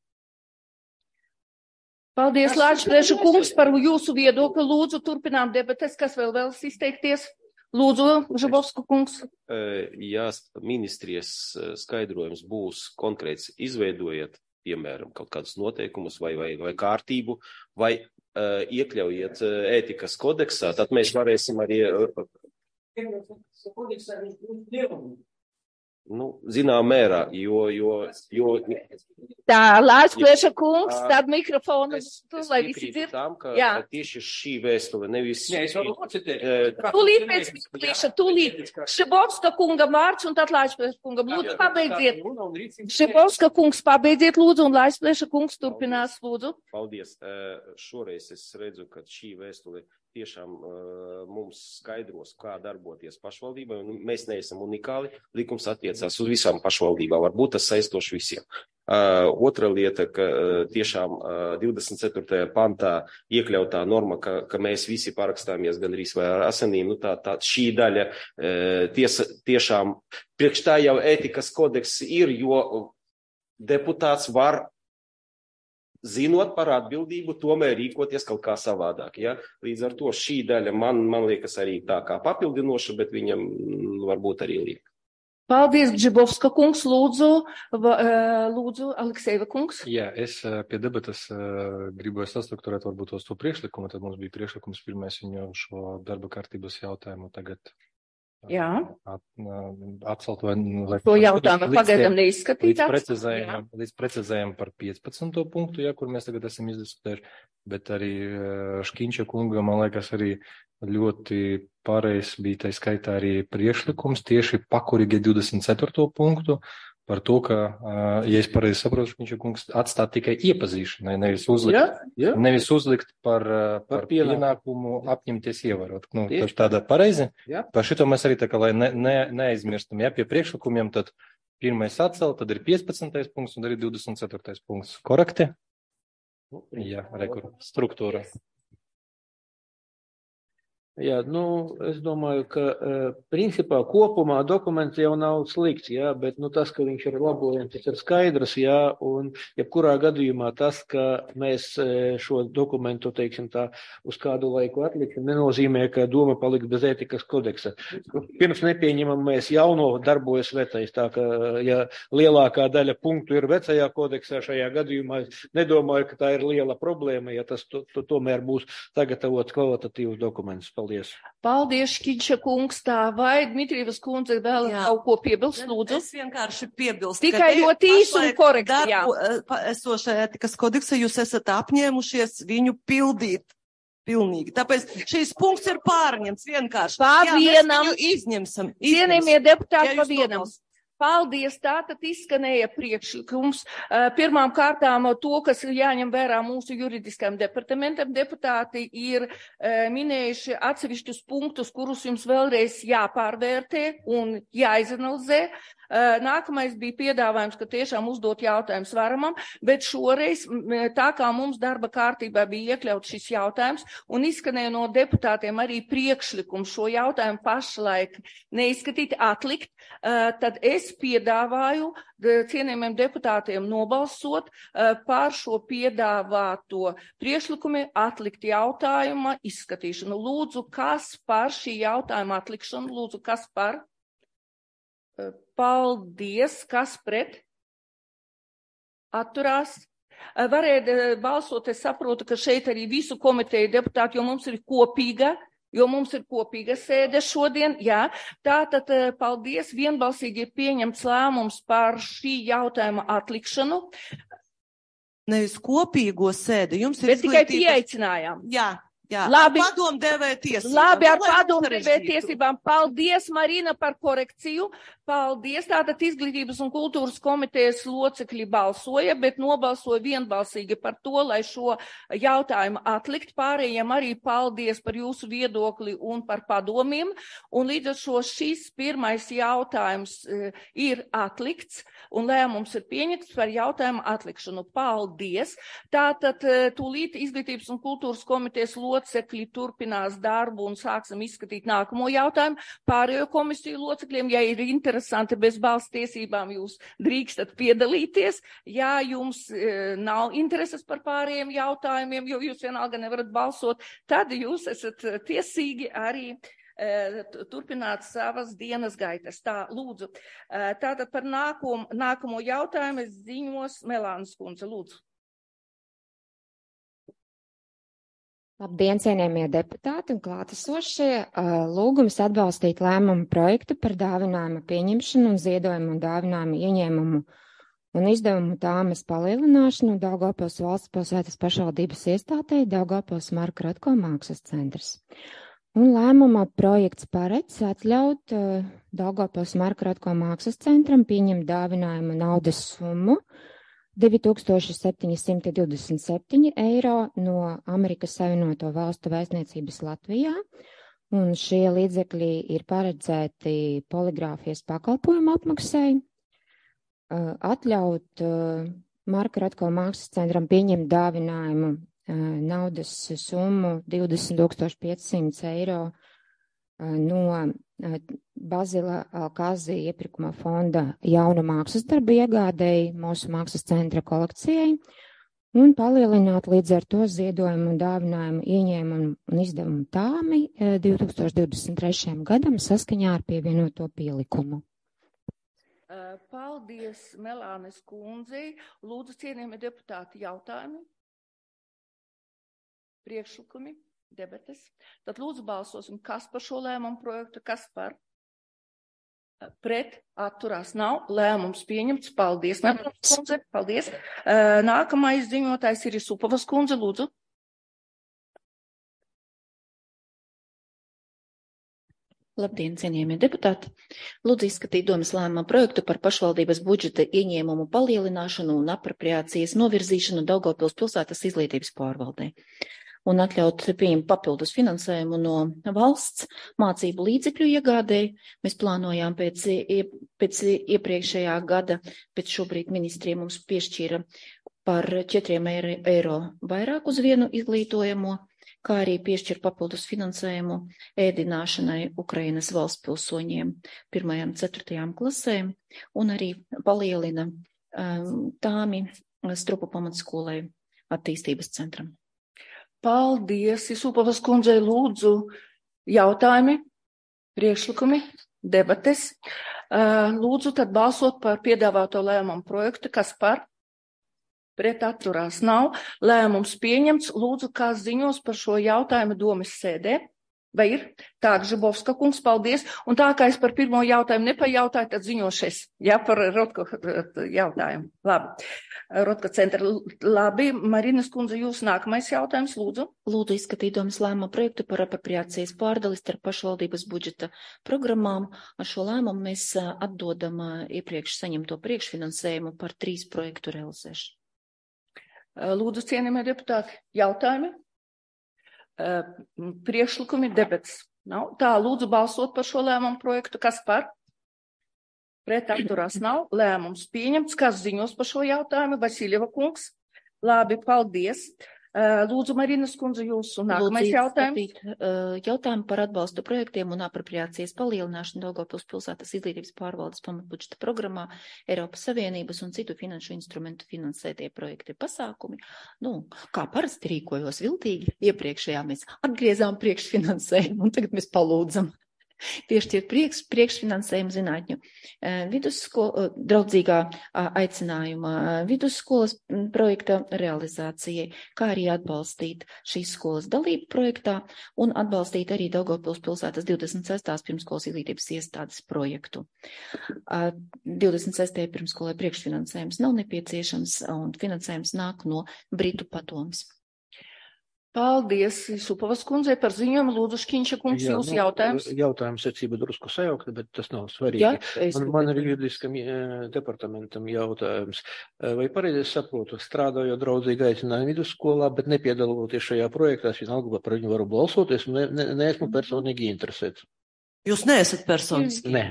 Paldies, Lāčplēša kungs, par jūsu viedokli. Lūdzu, turpinām debates, kas vēl vēlas izteikties. Lūdzu, Žabovska kungs. Ja ministrijas skaidrojums būs konkrēts, izveidojiet, piemēram, kaut kādus noteikumus vai kārtību, vai iekļaujiet ētikas kodeksā, tad mēs varēsim arī... Nu, zinām mērā, jo Tā, Lāčplieša kungs, tad mikrofonu, lai visi dzird. Tām, ka Jā. tieši šī vēstule nevis... Nē, es varu nocitēt. Tūlīt pēc Miklīša, tūlīt. Šibovska kungam vārds un tad Lāčplieša kungam. Lūdzu, pabeidziet. Šibovska kungs, pabeidziet, lūdzu, un Lāčplieša kungs turpinās, lūdzu. Paldies. Šoreiz es redzu, ka šī vēstule tiešām mums skaidros, kā darboties pašvaldībai, un mēs neesam unikāli. Likums attiecās uz visām pašvaldībām. Varbūt tas saistoši visiem. Otra lieta, ka tiešām 24. pantā iekļautā norma, ka mēs visi parakstāmies gandrīz vai ar asinīm, nu tā šī daļa tiešām priekš tā jau ētikas kodeks ir, jo deputāts var, zinot par atbildību, tomēr rīkoties kaut kā savādāk. Ja? Līdz ar to šī daļa man liekas arī tā kā papildinoša, bet viņam varbūt arī liek. Paldies, Gžibovska kungs, lūdzu, Aleksejeva kungs. Jā, es pie debatas gribēju sastrukturēt varbūt tos to priekšlikumu, tad mums bija priekšlikums pirmais viņu šo darba kārtības jautājumu tagad Jā. Atcelt vai To jautājumu pagaidām neizskatīt. Līdz precizējam par 15. punktu, ja, kur mēs tagad esam izdiskutējuši, bet arī Škiņša kunga, man liekas, arī ļoti pareizs bija tai skaitā arī priekšlikums tieši pakorīgi 24. punktu par to, ka, ja es pareizi saprotu, Škiņša kungs atstāt tikai iepazīšanai, nevis uzlikt par pienākumu apņemties ievērot. Nu, tāda pareizi. Jā. Par šito mēs arī tā kā, lai neaizmirstam, ja pie priekšlikumiem, tad pirmais atcelt, tad ir 15. punkts un arī 24. punkts. Korekti? Jā, struktūra. Jā, es domāju, ka principā kopumā dokuments jau nav slikts, jā, bet tas, ka viņš ir labojams, tas ir skaidrs, jā, un jebkurā gadījumā tas, ka mēs šo dokumentu, teiksim tā, uz kādu laiku atliksim, nenozīmē, ka doma paliks bez ētikas kodeksa. Pirms nepieņemam mēs jauno darbojas vecais, tā ka, ja lielākā daļa punktu ir vecajā kodeksā, šajā gadījumā nedomāju, ka tā ir liela problēma, ja tas tomēr būs sagatavots kvalitatīvs dokuments. Paldies, Škiņša kungs, tā vai Dmitrijevas kundze vēl kaut ko piebilst, lūdzu? Es vienkārši piebilstu. Tikai ļoti īsi un korekti, jā. Esošajā ētikas kodeksa jūs esat apņēmušies viņu pildīt. Pilnīgi. Tāpēc šīs punkts ir pārņemts vienkārši. Pavienam. Izņemsim. Cienījamie deputāti, pavienam. Paldies, tātad izskanēja priekšlikums. Pirmām kārtām to, kas ir jāņem vērā mūsu juridiskajam departamentam, deputāti ir minējuši atsevišķus punktus, kurus jums vēlreiz jāpārvērtē un jāizanalizē. Nākamais bija piedāvājums, ka tiešām uzdot jautājums varamam, bet šoreiz, tā kā mums darba kārtībā bija iekļauts šis jautājums un izskanēja no deputātiem arī priekšlikums šo jautājumu pašlaik neizskatīt, atlikt, tad es piedāvāju cienījumiem deputātiem nobalsot par šo piedāvāto priekšlikumu atlikt jautājuma izskatīšanu. Lūdzu, kas par šī jautājuma atlikšanu? Lūdzu, kas par? Paldies. Kas pret? Atturās. Varēja balsot, es saprotu, ka šeit arī visu komiteju deputāti, jo mums ir kopīga sēde šodien. Jā. Tātad, paldies. Vienbalsīgi ir pieņemts lēmums par šī jautājuma atlikšanu. Nevis kopīgo sēdi. Jums ir bet tikai pieaicinājām. Jā. Jā, labi, ar padomdevēja tiesībām. Labi, ar padomdevēja tiesībām. Paldies, Marina, par korekciju. Paldies. Tātad Izglītības un kultūras komitejas locekļi balsoja, bet nobalsoja vienbalsīgi par to, lai šo jautājumu atlikt. Pārējiem arī paldies par jūsu viedokli un par padomiem. Un līdz ar šo šis pirmais jautājums ir atlikts un lēmums ir pieņemts par jautājumu atlikšanu. Paldies. Tātad tūlīt Izglītības un kultūras komitejas locekļi turpinās darbu un sāksim izskatīt nākamo jautājumu. Pārējo komisiju locekļiem, ja ir interesanti bez balss tiesībām, jūs drīkstat piedalīties. Ja jums nav intereses par pārējiem jautājumiem, jo jūs vienalga nevarat balsot, tad jūs esat tiesīgi arī turpināt savas dienas gaitas. Tā, lūdzu. Tātad par nākamo jautājumu es ziņos Melānas kundze. Lūdzu. Labdien, cienījamie deputāti un klātesošie! Lūgums atbalstīt lēmumu projektu par dāvinājuma pieņemšanu un ziedojumu un dāvinājuma ieņēmumu un izdevumu tāmes palielināšanu Daugavpils valsts pilsētas pašvaldības iestādei Daugavpils Marka Rotko mākslas centrs. Un lēmuma projekts paredz atļaut Daugavpils Marka Rotko mākslas centram pieņemt dāvinājuma naudas summu 2727 eiro no Amerikas Savienoto Valstu vēstniecības Latvijā, un šie līdzekļi ir paredzēti poligrāfijas pakalpojumu apmaksai, atļaut Marka Rotko mākslas centram pieņemt dāvinājumu naudas summu 20 500 eiro no Bazila Alkazi iepirkuma fonda jaunu mākslas darbu iegādēji mūsu mākslas centra kolekcijai un palielināt līdz ar to ziedojumu un dāvinājumu ieņēmumu un izdevumu tāmi 2023. gadam saskaņā ar pievienoto pielikumu. Paldies, Melānes kundzei. Lūdzu, cienījamie deputāti, jautājumi, priekšlikumi, debates. Tad lūdzu balsosim, kas par šo lēmumu projektu, kas par, pret, atturās nav, lēmums pieņemts. Paldies, Melānes kundze, paldies. Nākamais ziņotājs ir Isupovas kundze, lūdzu. Labdien, cienījamie deputāti! Lūdzu izskatīt domas lēmuma projektu par pašvaldības budžeta ieņēmumu palielināšanu un apropriācijas novirzīšanu Daugavpils pilsētas izglītības pārvaldē un atļaut pieņemt papildus finansējumu no valsts mācību līdzekļu iegādēji. Mēs plānojām pēc iepriekšējā gada, bet šobrīd ministrija mums piešķīra par 4 eiro vairāk uz vienu izglītojamo, kā arī piešķir papildus finansējumu ēdināšanai Ukrainas valsts pilsoņiem 1. un 4. klasēm un arī palielina tāmi Strupu pamatskolai attīstības centram. Paldies, Isupovas kundzei, lūdzu jautājumi, priekšlikumi, debates. Lūdzu tad balsot par piedāvāto lēmumu projektu, kas par, pret, atturās nav. Lēmums pieņemts. Lūdzu, kas ziņos par šo jautājumu domas sēdē? Vai ir? Tā, Žibovska kungs, paldies. Un tā kā es par pirmo jautājumu nepajautāju, tad ziņošies, ja, par Rotko jautājumu. Labi. Rotko centra. Labi. Marinas kundze, jūs nākamais jautājums, lūdzu. Lūdzu izskatīt domas lēmuma projektu par apropriācijas pārdali starp pašvaldības budžeta programmām. Ar šo lēmumu mēs atdodam iepriekš saņemto priekšfinansējumu par 3 projektu realizēšanu. Lūdzu, cienījamie deputāti, jautājumi? Priekšlikumi, debats nav. Tā, lūdzu balsot par šo lēmumu projektu. Kas par? Pret, atturās nav. Lēmums pieņemts. Kas ziņos par šo jautājumu? Vasiljeva kungs. Labi, paldies. Lūdzu, Marinas kundze, jūsu nākamais jautājums. Jautājumu par atbalstu projektiem un apropriācijas palielināšanu Daugavpils pilsētas izglītības pārvaldes pamatbudžeta programmā, Eiropas Savienības un citu finanšu instrumentu finansētie projekti pasākumi. Kā parasti rīkojos viltīgi, iepriekšējā mēs atgriezām priekšfinansējumu un tagad mēs palūdzam piešķirt priekšfinansējumu zinātņu draudzīgā aicinājuma vidusskolas projekta realizācijai, kā arī atbalstīt šīs skolas dalību projektā un atbalstīt arī Daugavpils pilsētas 26. pirmskolas izglītības iestādes projektu. 26. pirmskolai priekšfinansējums nav nepieciešams un finansējums nāk no Britu padomes. Paldies, Isupovas kundzei par ziņojumu. Lūdzu, Škiņša kungs, jūsu jautājums. Jautājums secība drusku sajaukta, bet tas nav svarīgi. Man ir juridiskam departamentam jautājums. Vai pareizi es saprotu, strādājot draudzīgi aicinājumu vidusskolā, bet nepiedaloties šajā projektā, es vienalga par viņu varu balsoties un neesmu personīgi interesēts? Jūs neesat personiski? Nē.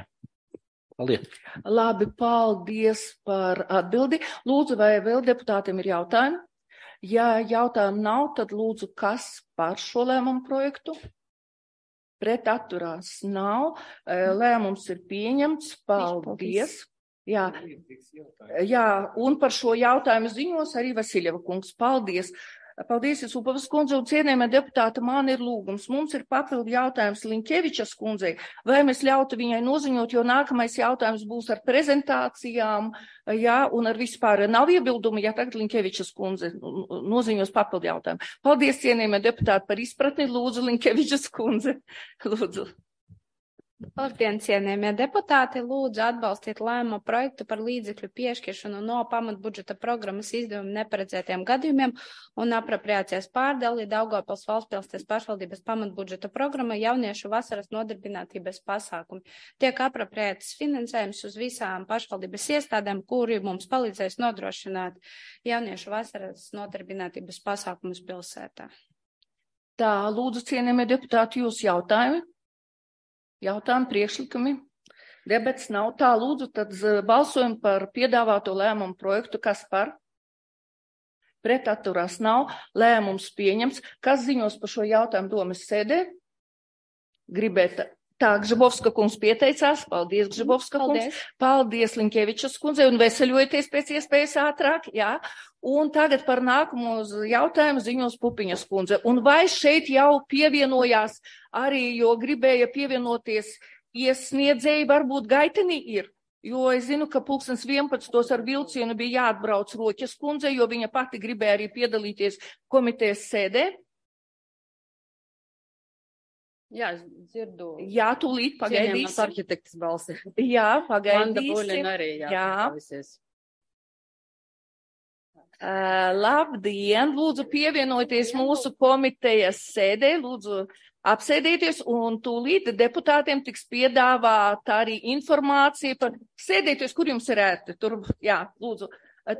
Paldies. Labi, paldies par atbildi. Lūdzu, vai vēl deputātiem ir jautājumi? Ja jautājumu nav, tad lūdzu, kas par šo lēmumu projektu? Pret, atturās nav. Lēmums ir pieņemts. Paldies. Jā, un par šo jautājumu ziņos arī Vasiljeva kungs. Paldies. Paldies, Upavas kundze, un cienījamie deputāti, man ir lūgums. Mums ir papildu jautājums Linkevičas kundzei, vai mēs ļautu viņai noziņot, jo nākamais jautājums būs ar prezentācijām, jā, un ar vispār nav iebildumi, ja tagad Linkevičas kundze noziņos papildu jautājumu. Paldies, cienījamie deputāti, par izpratni. Lūdzu, Linkevičas kundze. Lūdzu. Labdien, cienījamie deputāti, lūdzu atbalstiet lēmumu projektu par līdzekļu piešķiršanu no pamatbudžeta programmas izdevumu neparedzētiem gadījumiem un apropriācijas pārdali Daugavpils valstspilsnes pašvaldības pamatbudžeta programma jauniešu vasaras nodarbinātības pasākumi. Tiek apropriētas finansējums uz visām pašvaldības iestādēm, kuri mums palīdzēs nodrošināt jauniešu vasaras nodarbinātības pasākumus pilsētā. Tā, lūdzu, cienījamie deputāti, jūs jautājumi? Jautājumi, priekšlikumi, debats nav. Tā, lūdzu, tad balsojam par piedāvāto lēmumu projektu. Kas par? Pret atturās nav. Lēmums pieņems. Kas ziņos par šo jautājumu domas sēdē? Gribēt. Tā, Gžibovska kungs pieteicās. Paldies, Gžibovska kungs. Paldies, Linkevičas kundze, un veseļojieties pēc iespējas ātrāk. Jā. Un tagad par nākamo jautājumu ziņos Pupiņas kundze. Un vai šeit jau pievienojās arī, jo gribēja pievienoties iesniedzēji, varbūt Gaitenī ir? Jo es zinu, ka 11:00 ar vilcienu bija jāatbrauc Roķas kundze, jo viņa pati gribēja arī piedalīties komitejas sēdē. Jā, es dzirdu. Jā, tūlīt pagaidīsim. Cienījamās arhitektas balsi. Jā, pagaidīsim. Vanda Buļina arī, jā. Labdien, lūdzu pievienojieties mūsu komitejas sēdē, lūdzu apsēdieties, un tūlīt deputātiem tiks piedāvāta arī informācija par sēdieties, kur jums ir ērti. Tur, jā, lūdzu,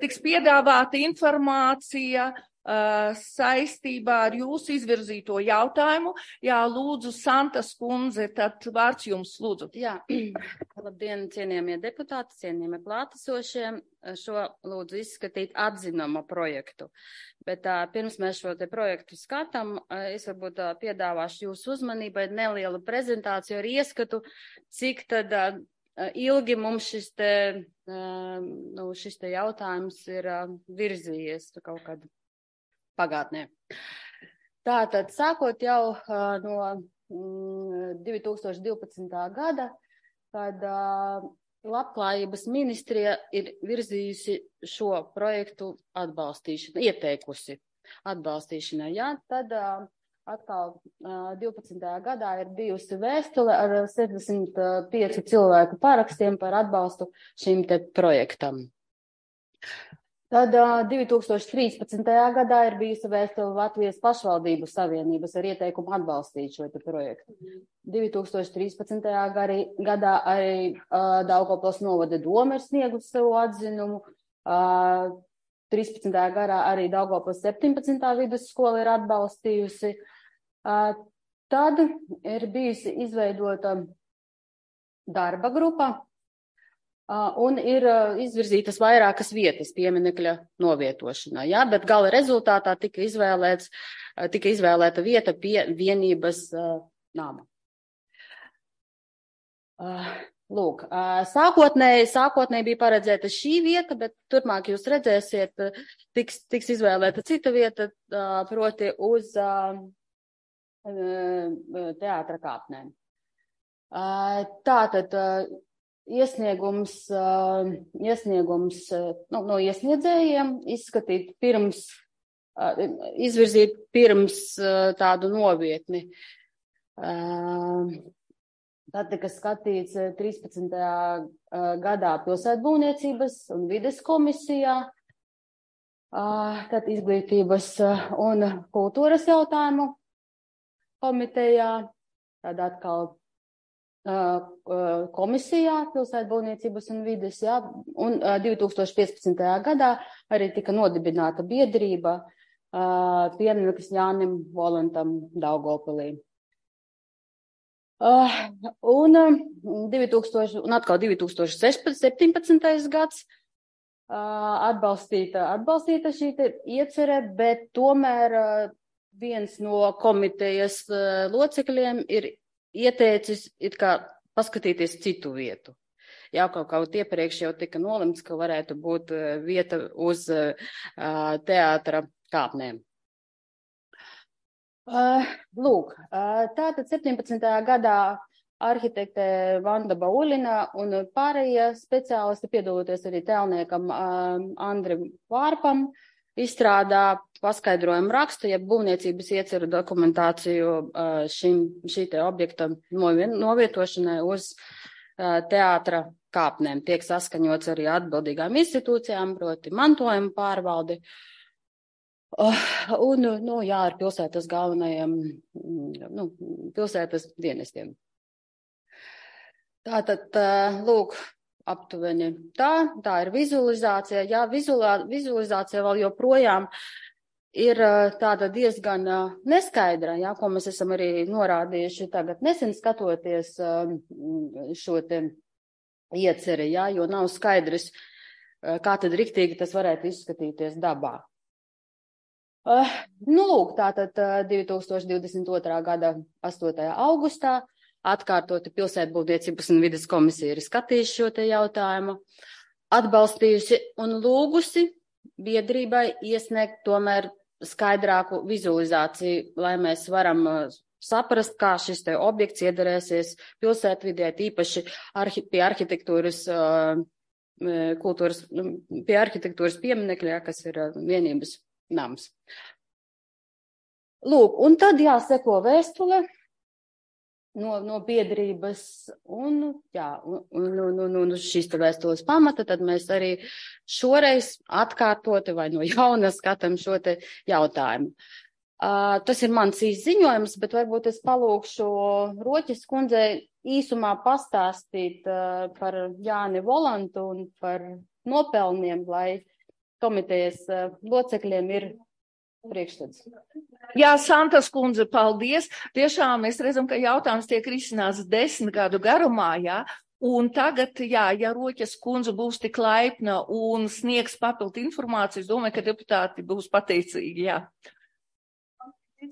tiks piedāvāta informācija saistībā ar jūsu izvirzīto jautājumu. Jā, lūdzu, Santas kundze, tad vārds jums, lūdzu. Jā, labdien, cienījamie deputāti, cienījamie klātesošie. Šo lūdzu izskatīt atzinuma projektu. Bet pirms mēs šo te projektu skatām, es varbūt piedāvāšu jūsu uzmanībai nelielu prezentāciju ar ieskatu, cik tad ilgi mums šis te jautājums ir virzījies kaut kādā pagātnē. Tātad, sākot jau no 2012. gada, kad Labklājības ministrija ir virzījusi šo projektu atbalstīšanu, ieteikusi atbalstīšanai. Jā, tad atkal 12. gadā ir bijusi vēstule ar 75 cilvēku parakstiem par atbalstu šim te projektam. Tad 2013. gadā ir bijusi vēstule Latvijas pašvaldību savienības ar ieteikumu atbalstīt šo te projektu. 2013. gadā arī Daugavpils novada doma ir sniegusi savu atzinumu. 13. gadā arī Daugavpils 17. vidusskola ir atbalstījusi. Tad ir bijusi izveidota darba grupa. Un ir izvirzītas vairākas vietas pieminekļa novietošanā, jā, bet gala rezultātā tika izvēlēta vieta pie vienības nama. Lūk, sākotnēji bija paredzēta šī vieta, bet turpmāk jūs redzēsiet, tiks izvēlēta cita vieta, proti uz teātra kāpnēm. Tātad, iesniegums no iesniedzējiem izvirzīt pirms tādu novietni. Tad tika skatīts 13. gadā pilsētbūvniecības un vides komisijā, tad izglītības un kultūras jautājumu komitejā, tad atkal komisijā pilsētbūvniecības un vides, jā, un 2015. gadā arī tika nodibināta biedrība piemineklis Jānim Volantam Daugavpilī. Un atkal 2017. gads atbalstīta šī iecere, bet tomēr viens no komitejas locekļiem ir ieteicis it kā paskatīties citu vietu. Jā, kaut iepriekš jau tika nolemts, ka varētu būt vieta uz teātra kāpnēm. Lūk, tātad 17. gadā arhitekte Vanda Baulina un pārējie speciālisti, piedaloties arī tēlniekam Andrim Vārpam, izstrādā paskaidrojumu rakstu, ja būvniecības ieceru dokumentāciju šī te objekta novietošanai uz teātra kāpnēm. Tiek saskaņots arī atbildīgām institūcijām, proti mantojuma pārvaldi. Un, ar pilsētas galvenajiem, pilsētas dienestiem. Tātad, lūk, aptuveni tā ir vizualizācija. Jā, vizualizācija vēl joprojām ir tāda diezgan neskaidra, jā, ko mēs esam arī norādījuši tagad nesen skatoties šo te ieceri, jā, jo nav skaidrs, kā tad riktīgi tas varētu izskatīties dabā. Lūk, tātad 2022. gada 8. augustā atkārtoti pilsētbūvniecības un vides komisija ir skatījusi šo te jautājumu, atbalstījusi un lūgusi biedrībai iesniegt tomēr skaidrāku vizualizāciju, lai mēs varam saprast, kā šis te objekts iedarēsies pilsētvidē, īpaši pie arhitektūras pie arhitektūras pieminekļa, kas ir vienības nams. Lūk, un tad jāseko vēstule no biedrības, un šīs te vēstules pamata, tad mēs arī šoreiz atkārtoti vai no jauna skatām šo te jautājumu. Tas ir mans izziņojums, bet varbūt es palūkšu Roķes kundzei īsumā pastāstīt par Jāni Volantu un par nopelniem, lai komitejas locekļiem ir priekšstats. Jā, Santas kundze, paldies. Tiešām mēs redzam, ka jautājums tiek risināts 10 gadu garumā, jā. Un tagad, jā, ja Roķes kundze būs tik laipna un sniegs papildu informāciju, es domāju, ka deputāti būs pateicīgi, jā.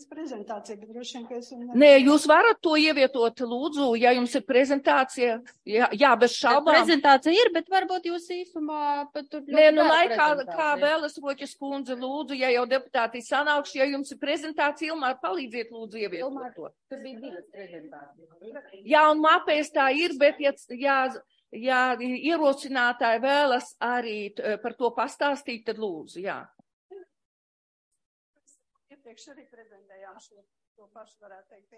Prezentācija, bet droši vien, ka es... Nē, jūs varat to ievietot, lūdzu, ja jums ir prezentācija. Jā, bez šaubām. Prezentācija ir, bet varbūt jūs īsumā pat tur... Nē, laikā, kā vēlas Roķes kundze, lūdzu, ja jau deputāti sanākšu, ja jums ir prezentācija, Ilmār, palīdziet, lūdzu, ievietot to. Tur bija 2 prezentācijas. Jā, un mapēs tā ir, bet ja ierosinātāji vēlas arī par to pastāstīt, tad lūdzu, jā. Iepriekš arī prezentējām to pašu, varētu teikt.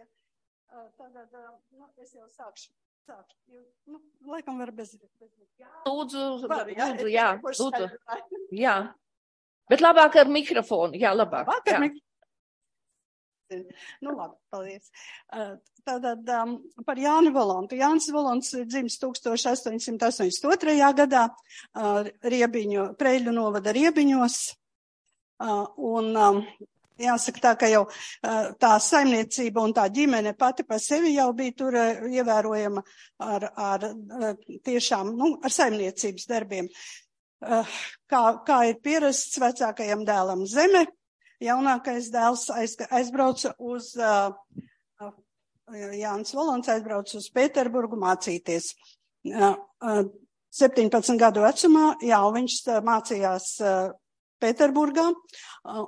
Tagad, es jau sākšu. Laikam var bez. Lūdzu, jā, lūdzu. Jā. Bet labāk ar mikrofonu, jā, labāk. Jā. Labi, paldies. Tātad par Jāni Volantu. Jānis Volants dzimis 1882. gadā Preļu novada Riebiņos. Un jāsaka tā, ka jau tā saimniecība un tā ģimene pati par sevi jau bija tur ievērojama ar tiešām, ar saimniecības darbiem. Kā ir pierasts vecākajam dēlam zeme, jaunākais dēls aizbrauca uz, Jānis Volants aizbrauca uz Pēterburgu mācīties. 17 gadu vecumā, jā, viņš mācījās Pēterburgā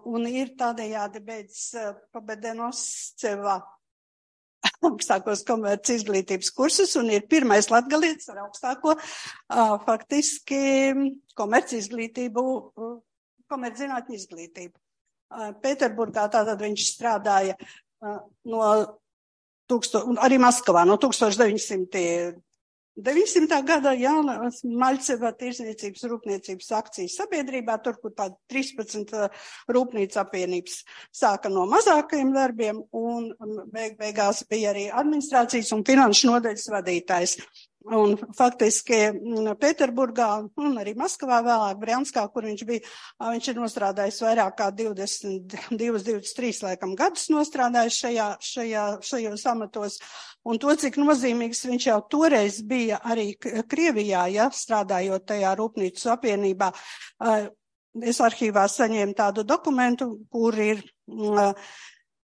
un ir tādējādi beidzis Pabedenosceva augstākos komerci izglītības kursus un ir pirmais latgalietis ar augstāko faktiski komerci izglītību, komerci zinātņu izglītību. Pēterburgā tātad viņš strādāja arī Maskavā no 1900. gada Maļceva tirsniecības rūpniecības akcijas sabiedrībā, tur, kur tāda 13 rūpnīca apvienības sāka no mazākajiem darbiem un beigās bija arī administrācijas un finanšu nodaļas vadītājs. Un faktiski Pēterburgā un arī Maskavā vēlāk Brjanskā, kur viņš bija, viņš ir nostrādājis vairāk kā 23 laikam gadus nostrādājis šajos amatos. Un to, cik nozīmīgs viņš jau toreiz bija arī Krievijā, ja, strādājot tajā rūpnīcu apvienībā. Es arhīvā saņēmu tādu dokumentu, kur ir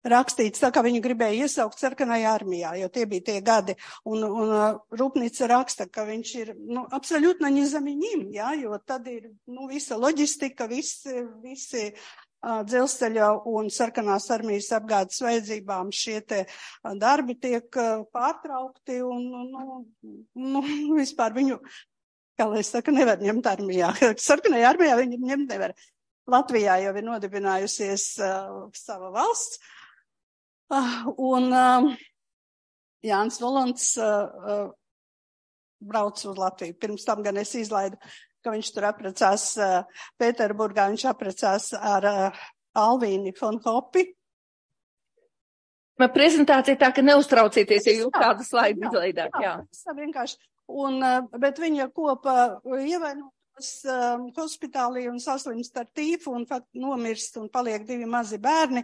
rakstīts, tā kā viņi gribēja iesaukt sarkanajā armijā, jo tie bija tie gadi. Un rūpnīca raksta, ka viņš ir, absolūtno nezaminīm, jā, jo tad ir, visa loģistika, visi dzelzceļa un sarkanās armijas apgādes vajadzībām šie te darbi tiek pārtraukti un vispār viņu, kā lai es saku, nevar ņemt armijā. Sarkanajā armijā viņi ņemt nevar. Latvijā jau ir nodibinājusies sava valsts. Un Jānis Volants brauc uz Latviju. Pirms tam gan es izlaidu, ka viņš tur apprecās Pēterburgā, viņš apprecās ar Alvīni von Hopi. Man prezentācija tā, ka neuztraucieties, ja jūs kādu slaidu izlaidāt. Jā. Vienkārši. Bet viņa kopā ievainotos hospitālī un saslimst ar tīfu un nomirst un paliek 2 mazi bērni.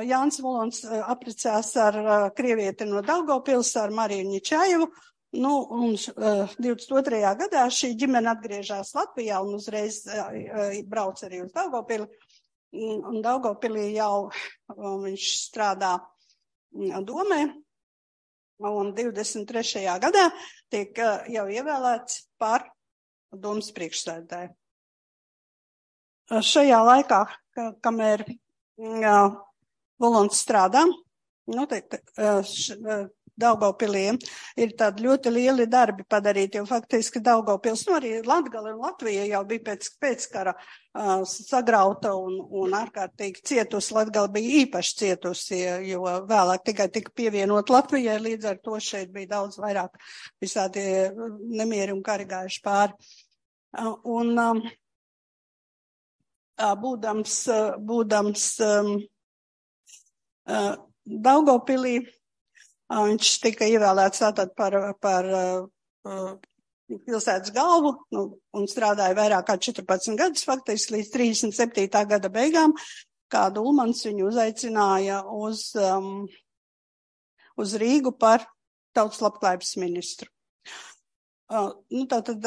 Jānis Volants apprecās ar krievieti no Daugavpils, ar Mariju Ņičajevu. Un 22. gadā šī ģimene atgriežās Latvijā un uzreiz brauc arī uz Daugavpili. Un Daugavpilī jau viņš strādā domē. Un 23. gadā tiek jau ievēlēts par domas priekšsēdētāju. Šajā laikā, kamēr Volants strādā, Daugavpilī ir tādi ļoti lieli darbi padarīti, jo faktiski Daugavpils, arī Latgale un Latvija jau bija pēc kara sagrauta un ārkārtīgi cietusi. Latgale bija īpaši cietusi, jo vēlāk tikai tika pievienot Latvijai, līdz ar to šeit bija daudz vairāk visādi nemieri un kari gājuši pāri. Un būdams Daugavpilī, viņš tika ievēlēts tātad par pilsētas galvu un strādāja vairāk kā 14 gadus, faktiski līdz 37. gada beigām, kādu Ulmans viņu uzaicināja uz Rīgu par tautas labklājības ministru. Tātad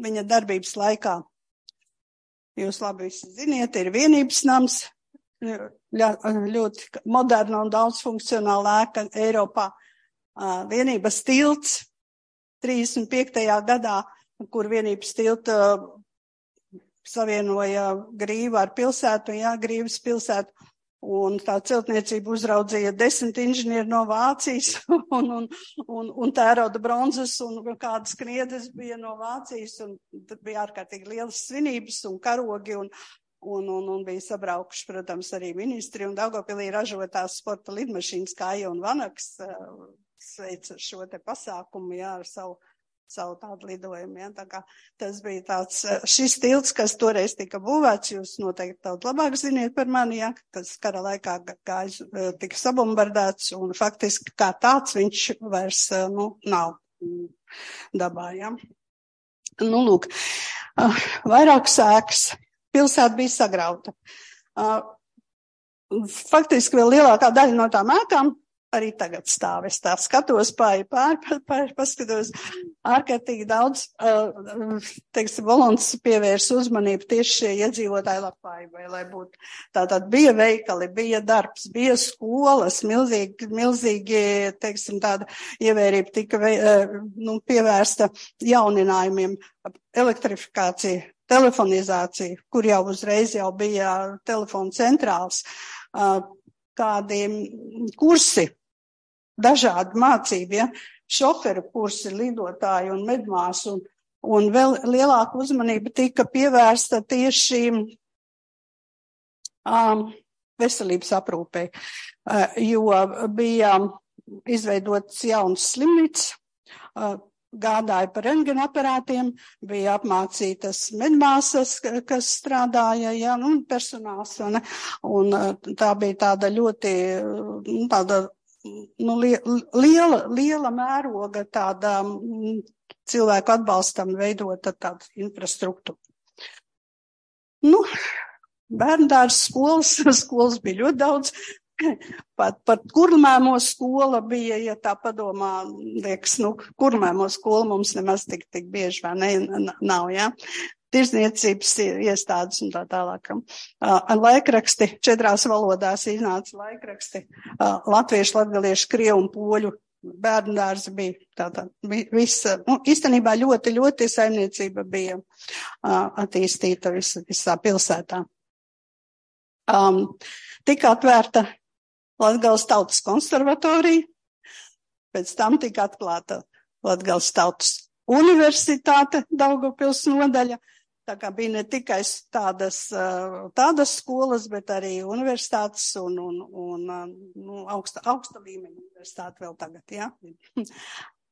viņa darbības laikā, jūs labi visi ziniet, ir Vienības nams, ļoti moderna un daudzfunkcionāla ēka Eiropā. Vienības tilts 35. gadā, kur Vienības tilta savienoja Grīvu ar pilsētu, Grīvas pilsētu, un tā celtniecība uzraudzīja 10 inženieri no Vācijas, un tērauda bronzas, un kādas kniedes bija no Vācijas, un bija ārkārtīgi lielas svinības un karogi, un bija sabraukuši, protams, arī ministri, un Daugavpilī ražotās sporta lidmašīnas Kāja un Vanaks sveica šo te pasākumu, ar savu tādu lidojumu, Tā kā tas bija tāds, šis tilts, kas toreiz tika būvēts, jūs noteikti daudz labāk ziniet par mani, kas kara laikā tika sabombardēts, un faktiski kā tāds viņš vairs, nav dabā, Lūk, vairākas ēkas. Pilsēta bija sagrauta. Faktiski vēl lielākā daļa no tām ēkām arī tagad stāv. Es tā skatos paskatos ārkārtīgi daudz, Volants pievērs uzmanību tieši šie iedzīvotāju labklājībai, lai būtu. Tātad bija veikali, bija darbs, bija skolas, milzīgi, tāda ievērība tika pievērsta jauninājumiem, elektrifikācija, telefonizācija, kur jau uzreiz bija telefona centrāls, kādi kursi, dažādi mācību, šoferu kursi, lidotāji un medmāsu, un vēl lielāka uzmanība tika pievērsta tieši veselības aprūpei, jo bija izveidots jauns slimnīcas, gādāja par rentgenaparātiem, bija apmācītas medmāsas, kas strādāja, personāls, un tā bija tāda ļoti, liela mēroga, tāda cilvēku atbalstam veidota tāda infrastruktūra. Bērndārs skolas bija ļoti daudz. Pat Kurmēmo skola bija, ja tā padomā, liekas, Kurmēmo skola mums nemaz tik bieži nav, Tirzniecības iestādes un tā tālāk. Laikraksti, 4 valodās iznāca laikraksti, latviešu, latgaliešu, krievu un poļu bērndārs bija. Tātad visa, īstenībā ļoti saimniecība bija attīstīta visā pilsētā. Tika atvērta Latgales tautas konservatorija, pēc tam tika atklāta Latgales tautas universitāte, Daugavpils nodaļa. Tā kā bija ne tikai tādas skolas, bet arī universitātes un augsta līmeņa universitāte vēl tagad, jā.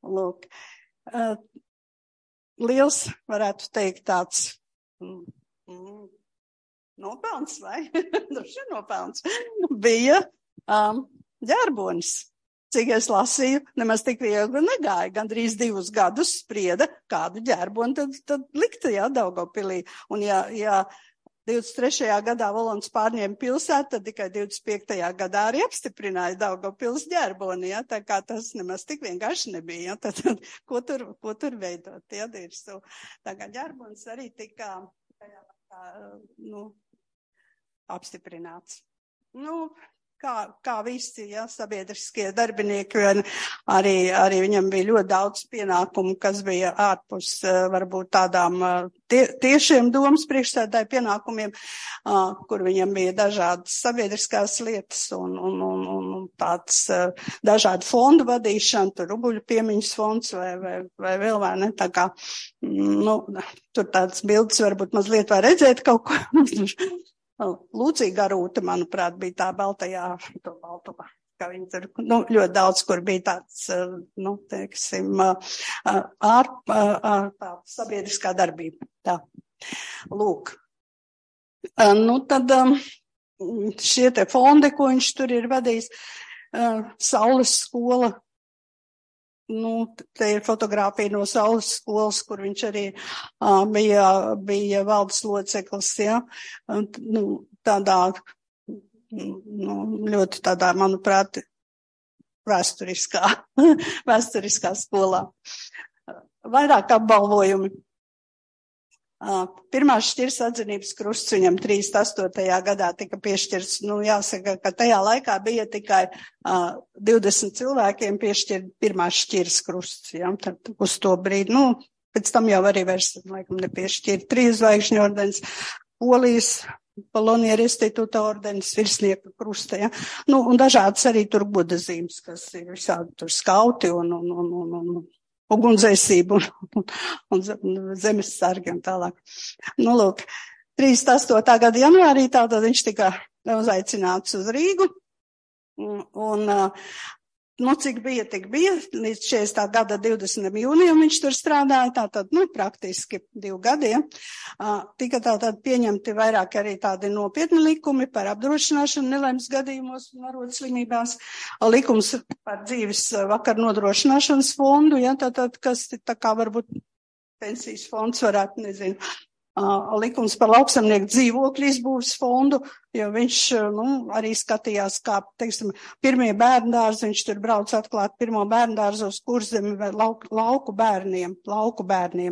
Lūk. Liels, varētu teikt, tāds nopelns, vai? Droši nopelns. Bija ģērbonis. Cik es lasīju, nemaz tik viegli negāja. Gandrīz 2 gadus sprieda, kādu ģērboni tad likta, jā, Daugavpilī. Un ja 23. gadā Volons pārņēma pilsētu, tad tikai 25. gadā arī apstiprināja Daugavpils ģērboni, jā. Tā kā tas nemaz tik vienkārši nebija, jā. Tad ko tur veidot, jā, dirstu. Tā kā ģērbonis arī tika apstiprināts. Kā visi, ja, sabiedriskie darbinieki, arī viņam bija ļoti daudz pienākumu, kas bija ārpus varbūt tādām tiešiem domas priekšsēdētāju pienākumiem, kur viņam bija dažādas sabiedriskās lietas un tāds dažādu fondu vadīšana, tur Rubuļu piemiņas fonds vai vēl vai ne, tā kā, tur tāds bildes varbūt mazliet var redzēt kaut ko. Lūcija Garūta, manuprāt, bija tā baltajā, kā viņi tur, ļoti daudz, kur bija tāds, teiksim, tā sabiedriskā darbība. Tā. Lūk. Tad šie te fondi, ko viņš tur ir vadījis, Saules skola, te ir fotogrāfija no Saules skolas, kur viņš arī bija valdes loceklis, ja, tādā, ļoti tādā, manuprāt, vēsturiskā skolā. Vairāk apbalvojumi. Pirmās šķirs atzinības krusts viņam 38. gadā tika piešķirts, jāsaka, ka tajā laikā bija tikai 20 cilvēkiem piešķirt pirmās šķirs krusts, ja, tad uz to brīdi, pēc tam jau arī vairs, laikam, nepiešķirt 3 zvaigžņu ordenis, Polijas Polonieru institūta ordenis, virsnieka krusta, ja, un dažādas arī tur godazīmes, kas ir visādi tur skauti un ugunsdzēsību un zemes sargi un tālāk. Lūk, 38. gada janvārī tātad viņš tika uzaicināts uz Rīgu un, cik bija, tik bija, līdz 40. gada 20. jūnijam viņš tur strādāja, tātad, praktiski 2 gadi, ja. Tika tātad pieņemti vairāk arī tādi nopietni likumi par apdrošināšanu nelaimes gadījumos un arodslimībās, likums par dzīves vakar nodrošināšanas fondu, ja, tātad, kas tā kā varbūt pensijas fonds varētu, nezinu, likums par lauksamnieku dzīvokļu izbūves fondu, jo viņš, arī skatījās, kā, teiksim, pirmie bērndārzi, viņš tur brauc atklāt pirmo bērndārzu uz Kurzemi vai lauku bērniem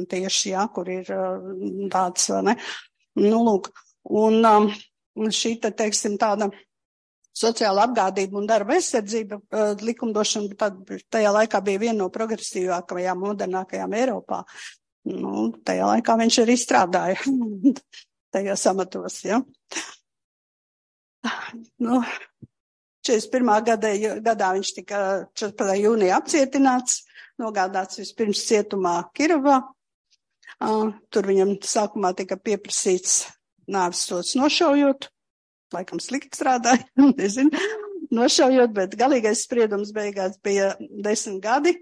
tieši, jā, kur ir tāds, ne, lūk, un šī, teiksim, tāda sociāla apgādība un darba aizsardzība likumdošana, tajā laikā bija viena no progresīvākajām, modernākajām Eiropā. Tajā laikā viņš arī strādāja tajos amatos, ja. 41. gadā viņš tika 14. jūnijā apcietināts, nogādāts vispirms cietumā Kirovā. Tur viņam sākumā tika pieprasīts nāves sods nošaujot, laikam slikti strādāja, nezinu, nošaujot, bet galīgais spriedums beigās bija 10 gadi,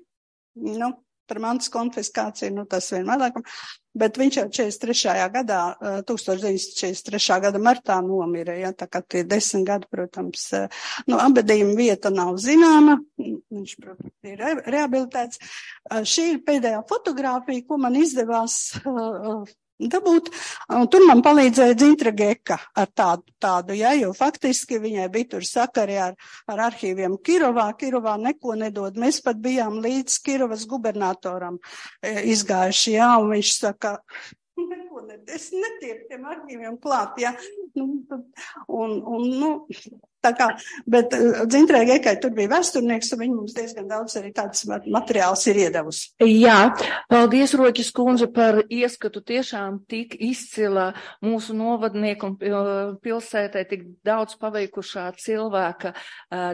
par mantas konfiskāciju, tas vienmēr, bet viņš jau 1943. gada martā nomira, ja, tā kā tie 10 gadi, protams, abedījuma vieta nav zināma, viņš, protams, ir rehabilitēts. Šī ir pēdējā fotogrāfija, ko man izdevās dabūt, un tur man palīdzēja Dzintra Geka ar tādu, ja, jo faktiski viņai bija tur sakari ar arhīviem Kirovā neko nedod. Mēs pat bijām līdz Kirovas gubernatoram izgājuši, ja, un viņš saka, es netieku tiem arhīviem klāt, ja, Tā kā, bet Dzintrē Gekai tur bija vēsturnieks, un viņi mums diezgan daudz arī tāds materiāls ir iedevusi. Jā, paldies, Roķis kundze, par ieskatu tiešām tik izcila mūsu novadnieku un pilsētē tik daudz paveikušā cilvēka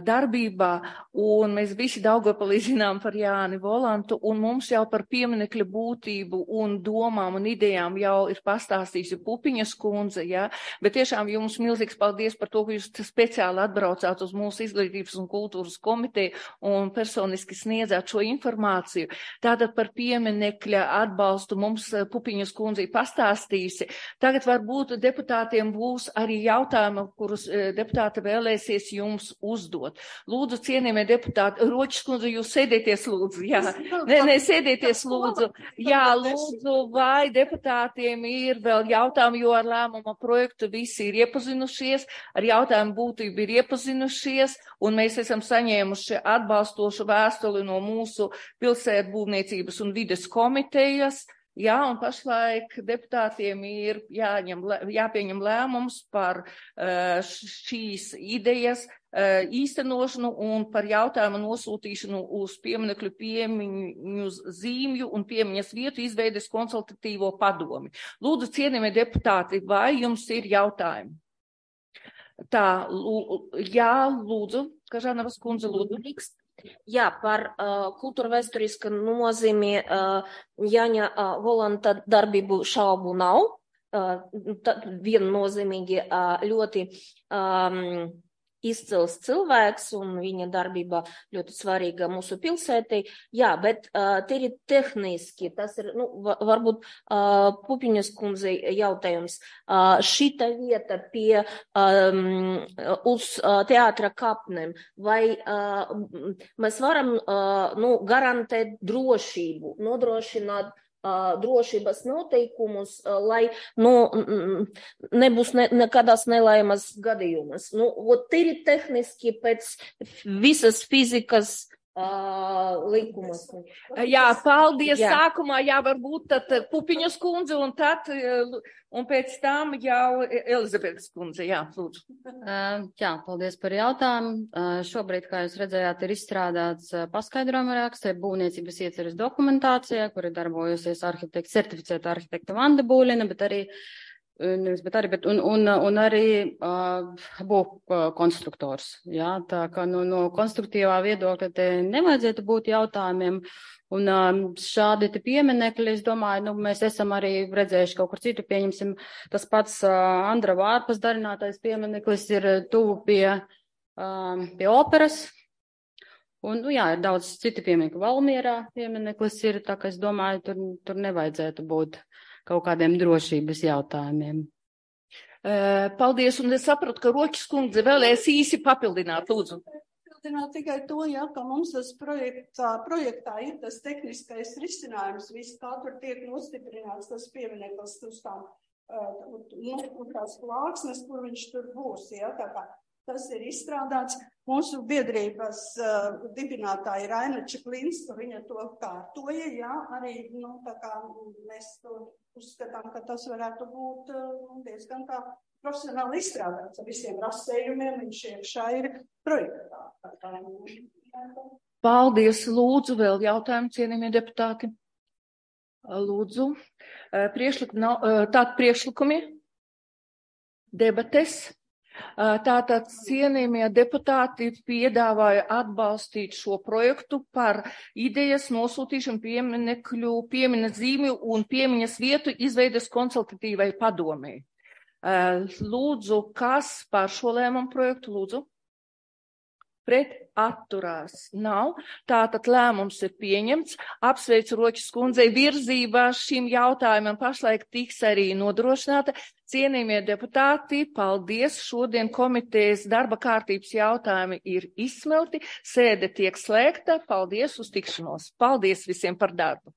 darbībā, un mēs visi Daugavpilī zinām par Jāni Volantu, un mums jau par pieminekļa būtību un domām un idejām jau ir pastāstījusi Pupiņas kundze, jā, bet tiešām jums milzīgs paldies par to, ka jūs speciāli atbraucāt uz mūsu izglītības un kultūras komiteju un personiski sniedzāt šo informāciju. Tātad par pieminekļa atbalstu mums Pupiņas kundze pastāstījusi. Tagad varbūt deputātiem būs arī jautājumi, kurus deputāti vēlēsies jums uzdot. Lūdzu, cienījamie deputāti, Roķis kundze, jūs sēdieties lūdzu. Jā, sēdieties lūdzu. Jā, lūdzu, vai deputātiem ir vēl jautājumi, jo ar lēmuma projektu visi ir iepazinušies, ar jautājumu būtību ir iepazinušies, un mēs esam saņēmuši atbalstošu vēstuli no mūsu pilsētbūvniecības un vides komitejas. Jā, un pašlaik deputātiem ir jāpieņem lēmums par šīs idejas īstenošanu un par jautājumu nosūtīšanu uz pieminekļu piemiņu zīmju un piemiņas vietu izveides konsultatīvo padomi. Lūdzu, cienījamie deputāti, vai jums ir jautājumi? Tā, jā, lūdzu, Kažānavas kundze, lūdzu. Jā, par kultūra vēsturiska nozīmi Jāņa Volanta darbību šaubu nav. Viennozīmīgi ļoti izcils cilvēks un viņa darbība ļoti svarīga mūsu pilsētī. Jā, bet tīri tehniski, tas ir, varbūt Pupiņas kundzei jautājums. Šita vieta pie uz teātra kapnēm, vai mēs varam garantēt drošību, nodrošināt drošības noteikumus, lai nebūs nekādās nelaimas gadījumas. Tīri tehniski pēc visas fizikas likumus. Jā, paldies. Jā. Sākumā varbūt tad Pupiņas kundze un pēc tam jau Elizabetes kundze. Jā, lūdzu. Jā, paldies par jautājumu. Šobrīd, kā jūs redzējāt, ir izstrādāts paskaidrojuma raksts būvniecības ieceres dokumentācijā, kur ir darbojusies certificēta arhitekta Vanda Būļina, bet arī konstruktors. Jā, tā kā no konstruktīvā viedokļa te nevajadzētu būt jautājumiem. Un šādi te pieminekļi, es domāju, mēs esam arī redzējuši kaut kur citu, pieņemsim, tas pats Andra Vārpas darinātais piemineklis ir tuvu pie operas. Un, jā, ir daudz citu pieminekļu. Valmierā piemineklis ir, tā kā es domāju, tur nevajadzētu būt kaut kādiem drošības jautājumiem. Paldies, un es saprotu, ka Roķis kundze vēlēs īsi papildināt, lūdzu. Papildināt tikai to, ka mums tas projektā ir tas tehniskais risinājums, viss kā tur tiek nostiprināts tas piemineklis uz tās plāksnes, kur viņš tur būs, tā kā tas ir izstrādāts. Mūsu biedrības dibinātāja Raina Čeplinska, viņa to kārtoja, arī, tā kā mēs to uzskatām, ka tas varētu būt diezgan kā profesionāli izstrādāts ar visiem rasējumiem, viņš iekšā ir projektā. Paldies, lūdzu, vēl jautājumu, cienījamie deputāti. Lūdzu, priekšlikumi, debates. Tātad cienījamie deputāti piedāvāja atbalstīt šo projektu par idejas nosūtīšanu piemiņas zīmju un piemiņas vietu izveides konsultatīvai padomei. Lūdzu, kas par šo lēmumu projektu, lūdzu? Pret atturās nav. Tātad lēmums ir pieņemts. Apsveicu Roķis kundzei, virzība šim jautājumam pašlaik tiks arī nodrošināta. Cienījamie deputāti, paldies. Šodien komitejas darba kārtības jautājumi ir izsmelti. Sēde tiek slēgta. Paldies uz tikšanos. Paldies visiem par darbu.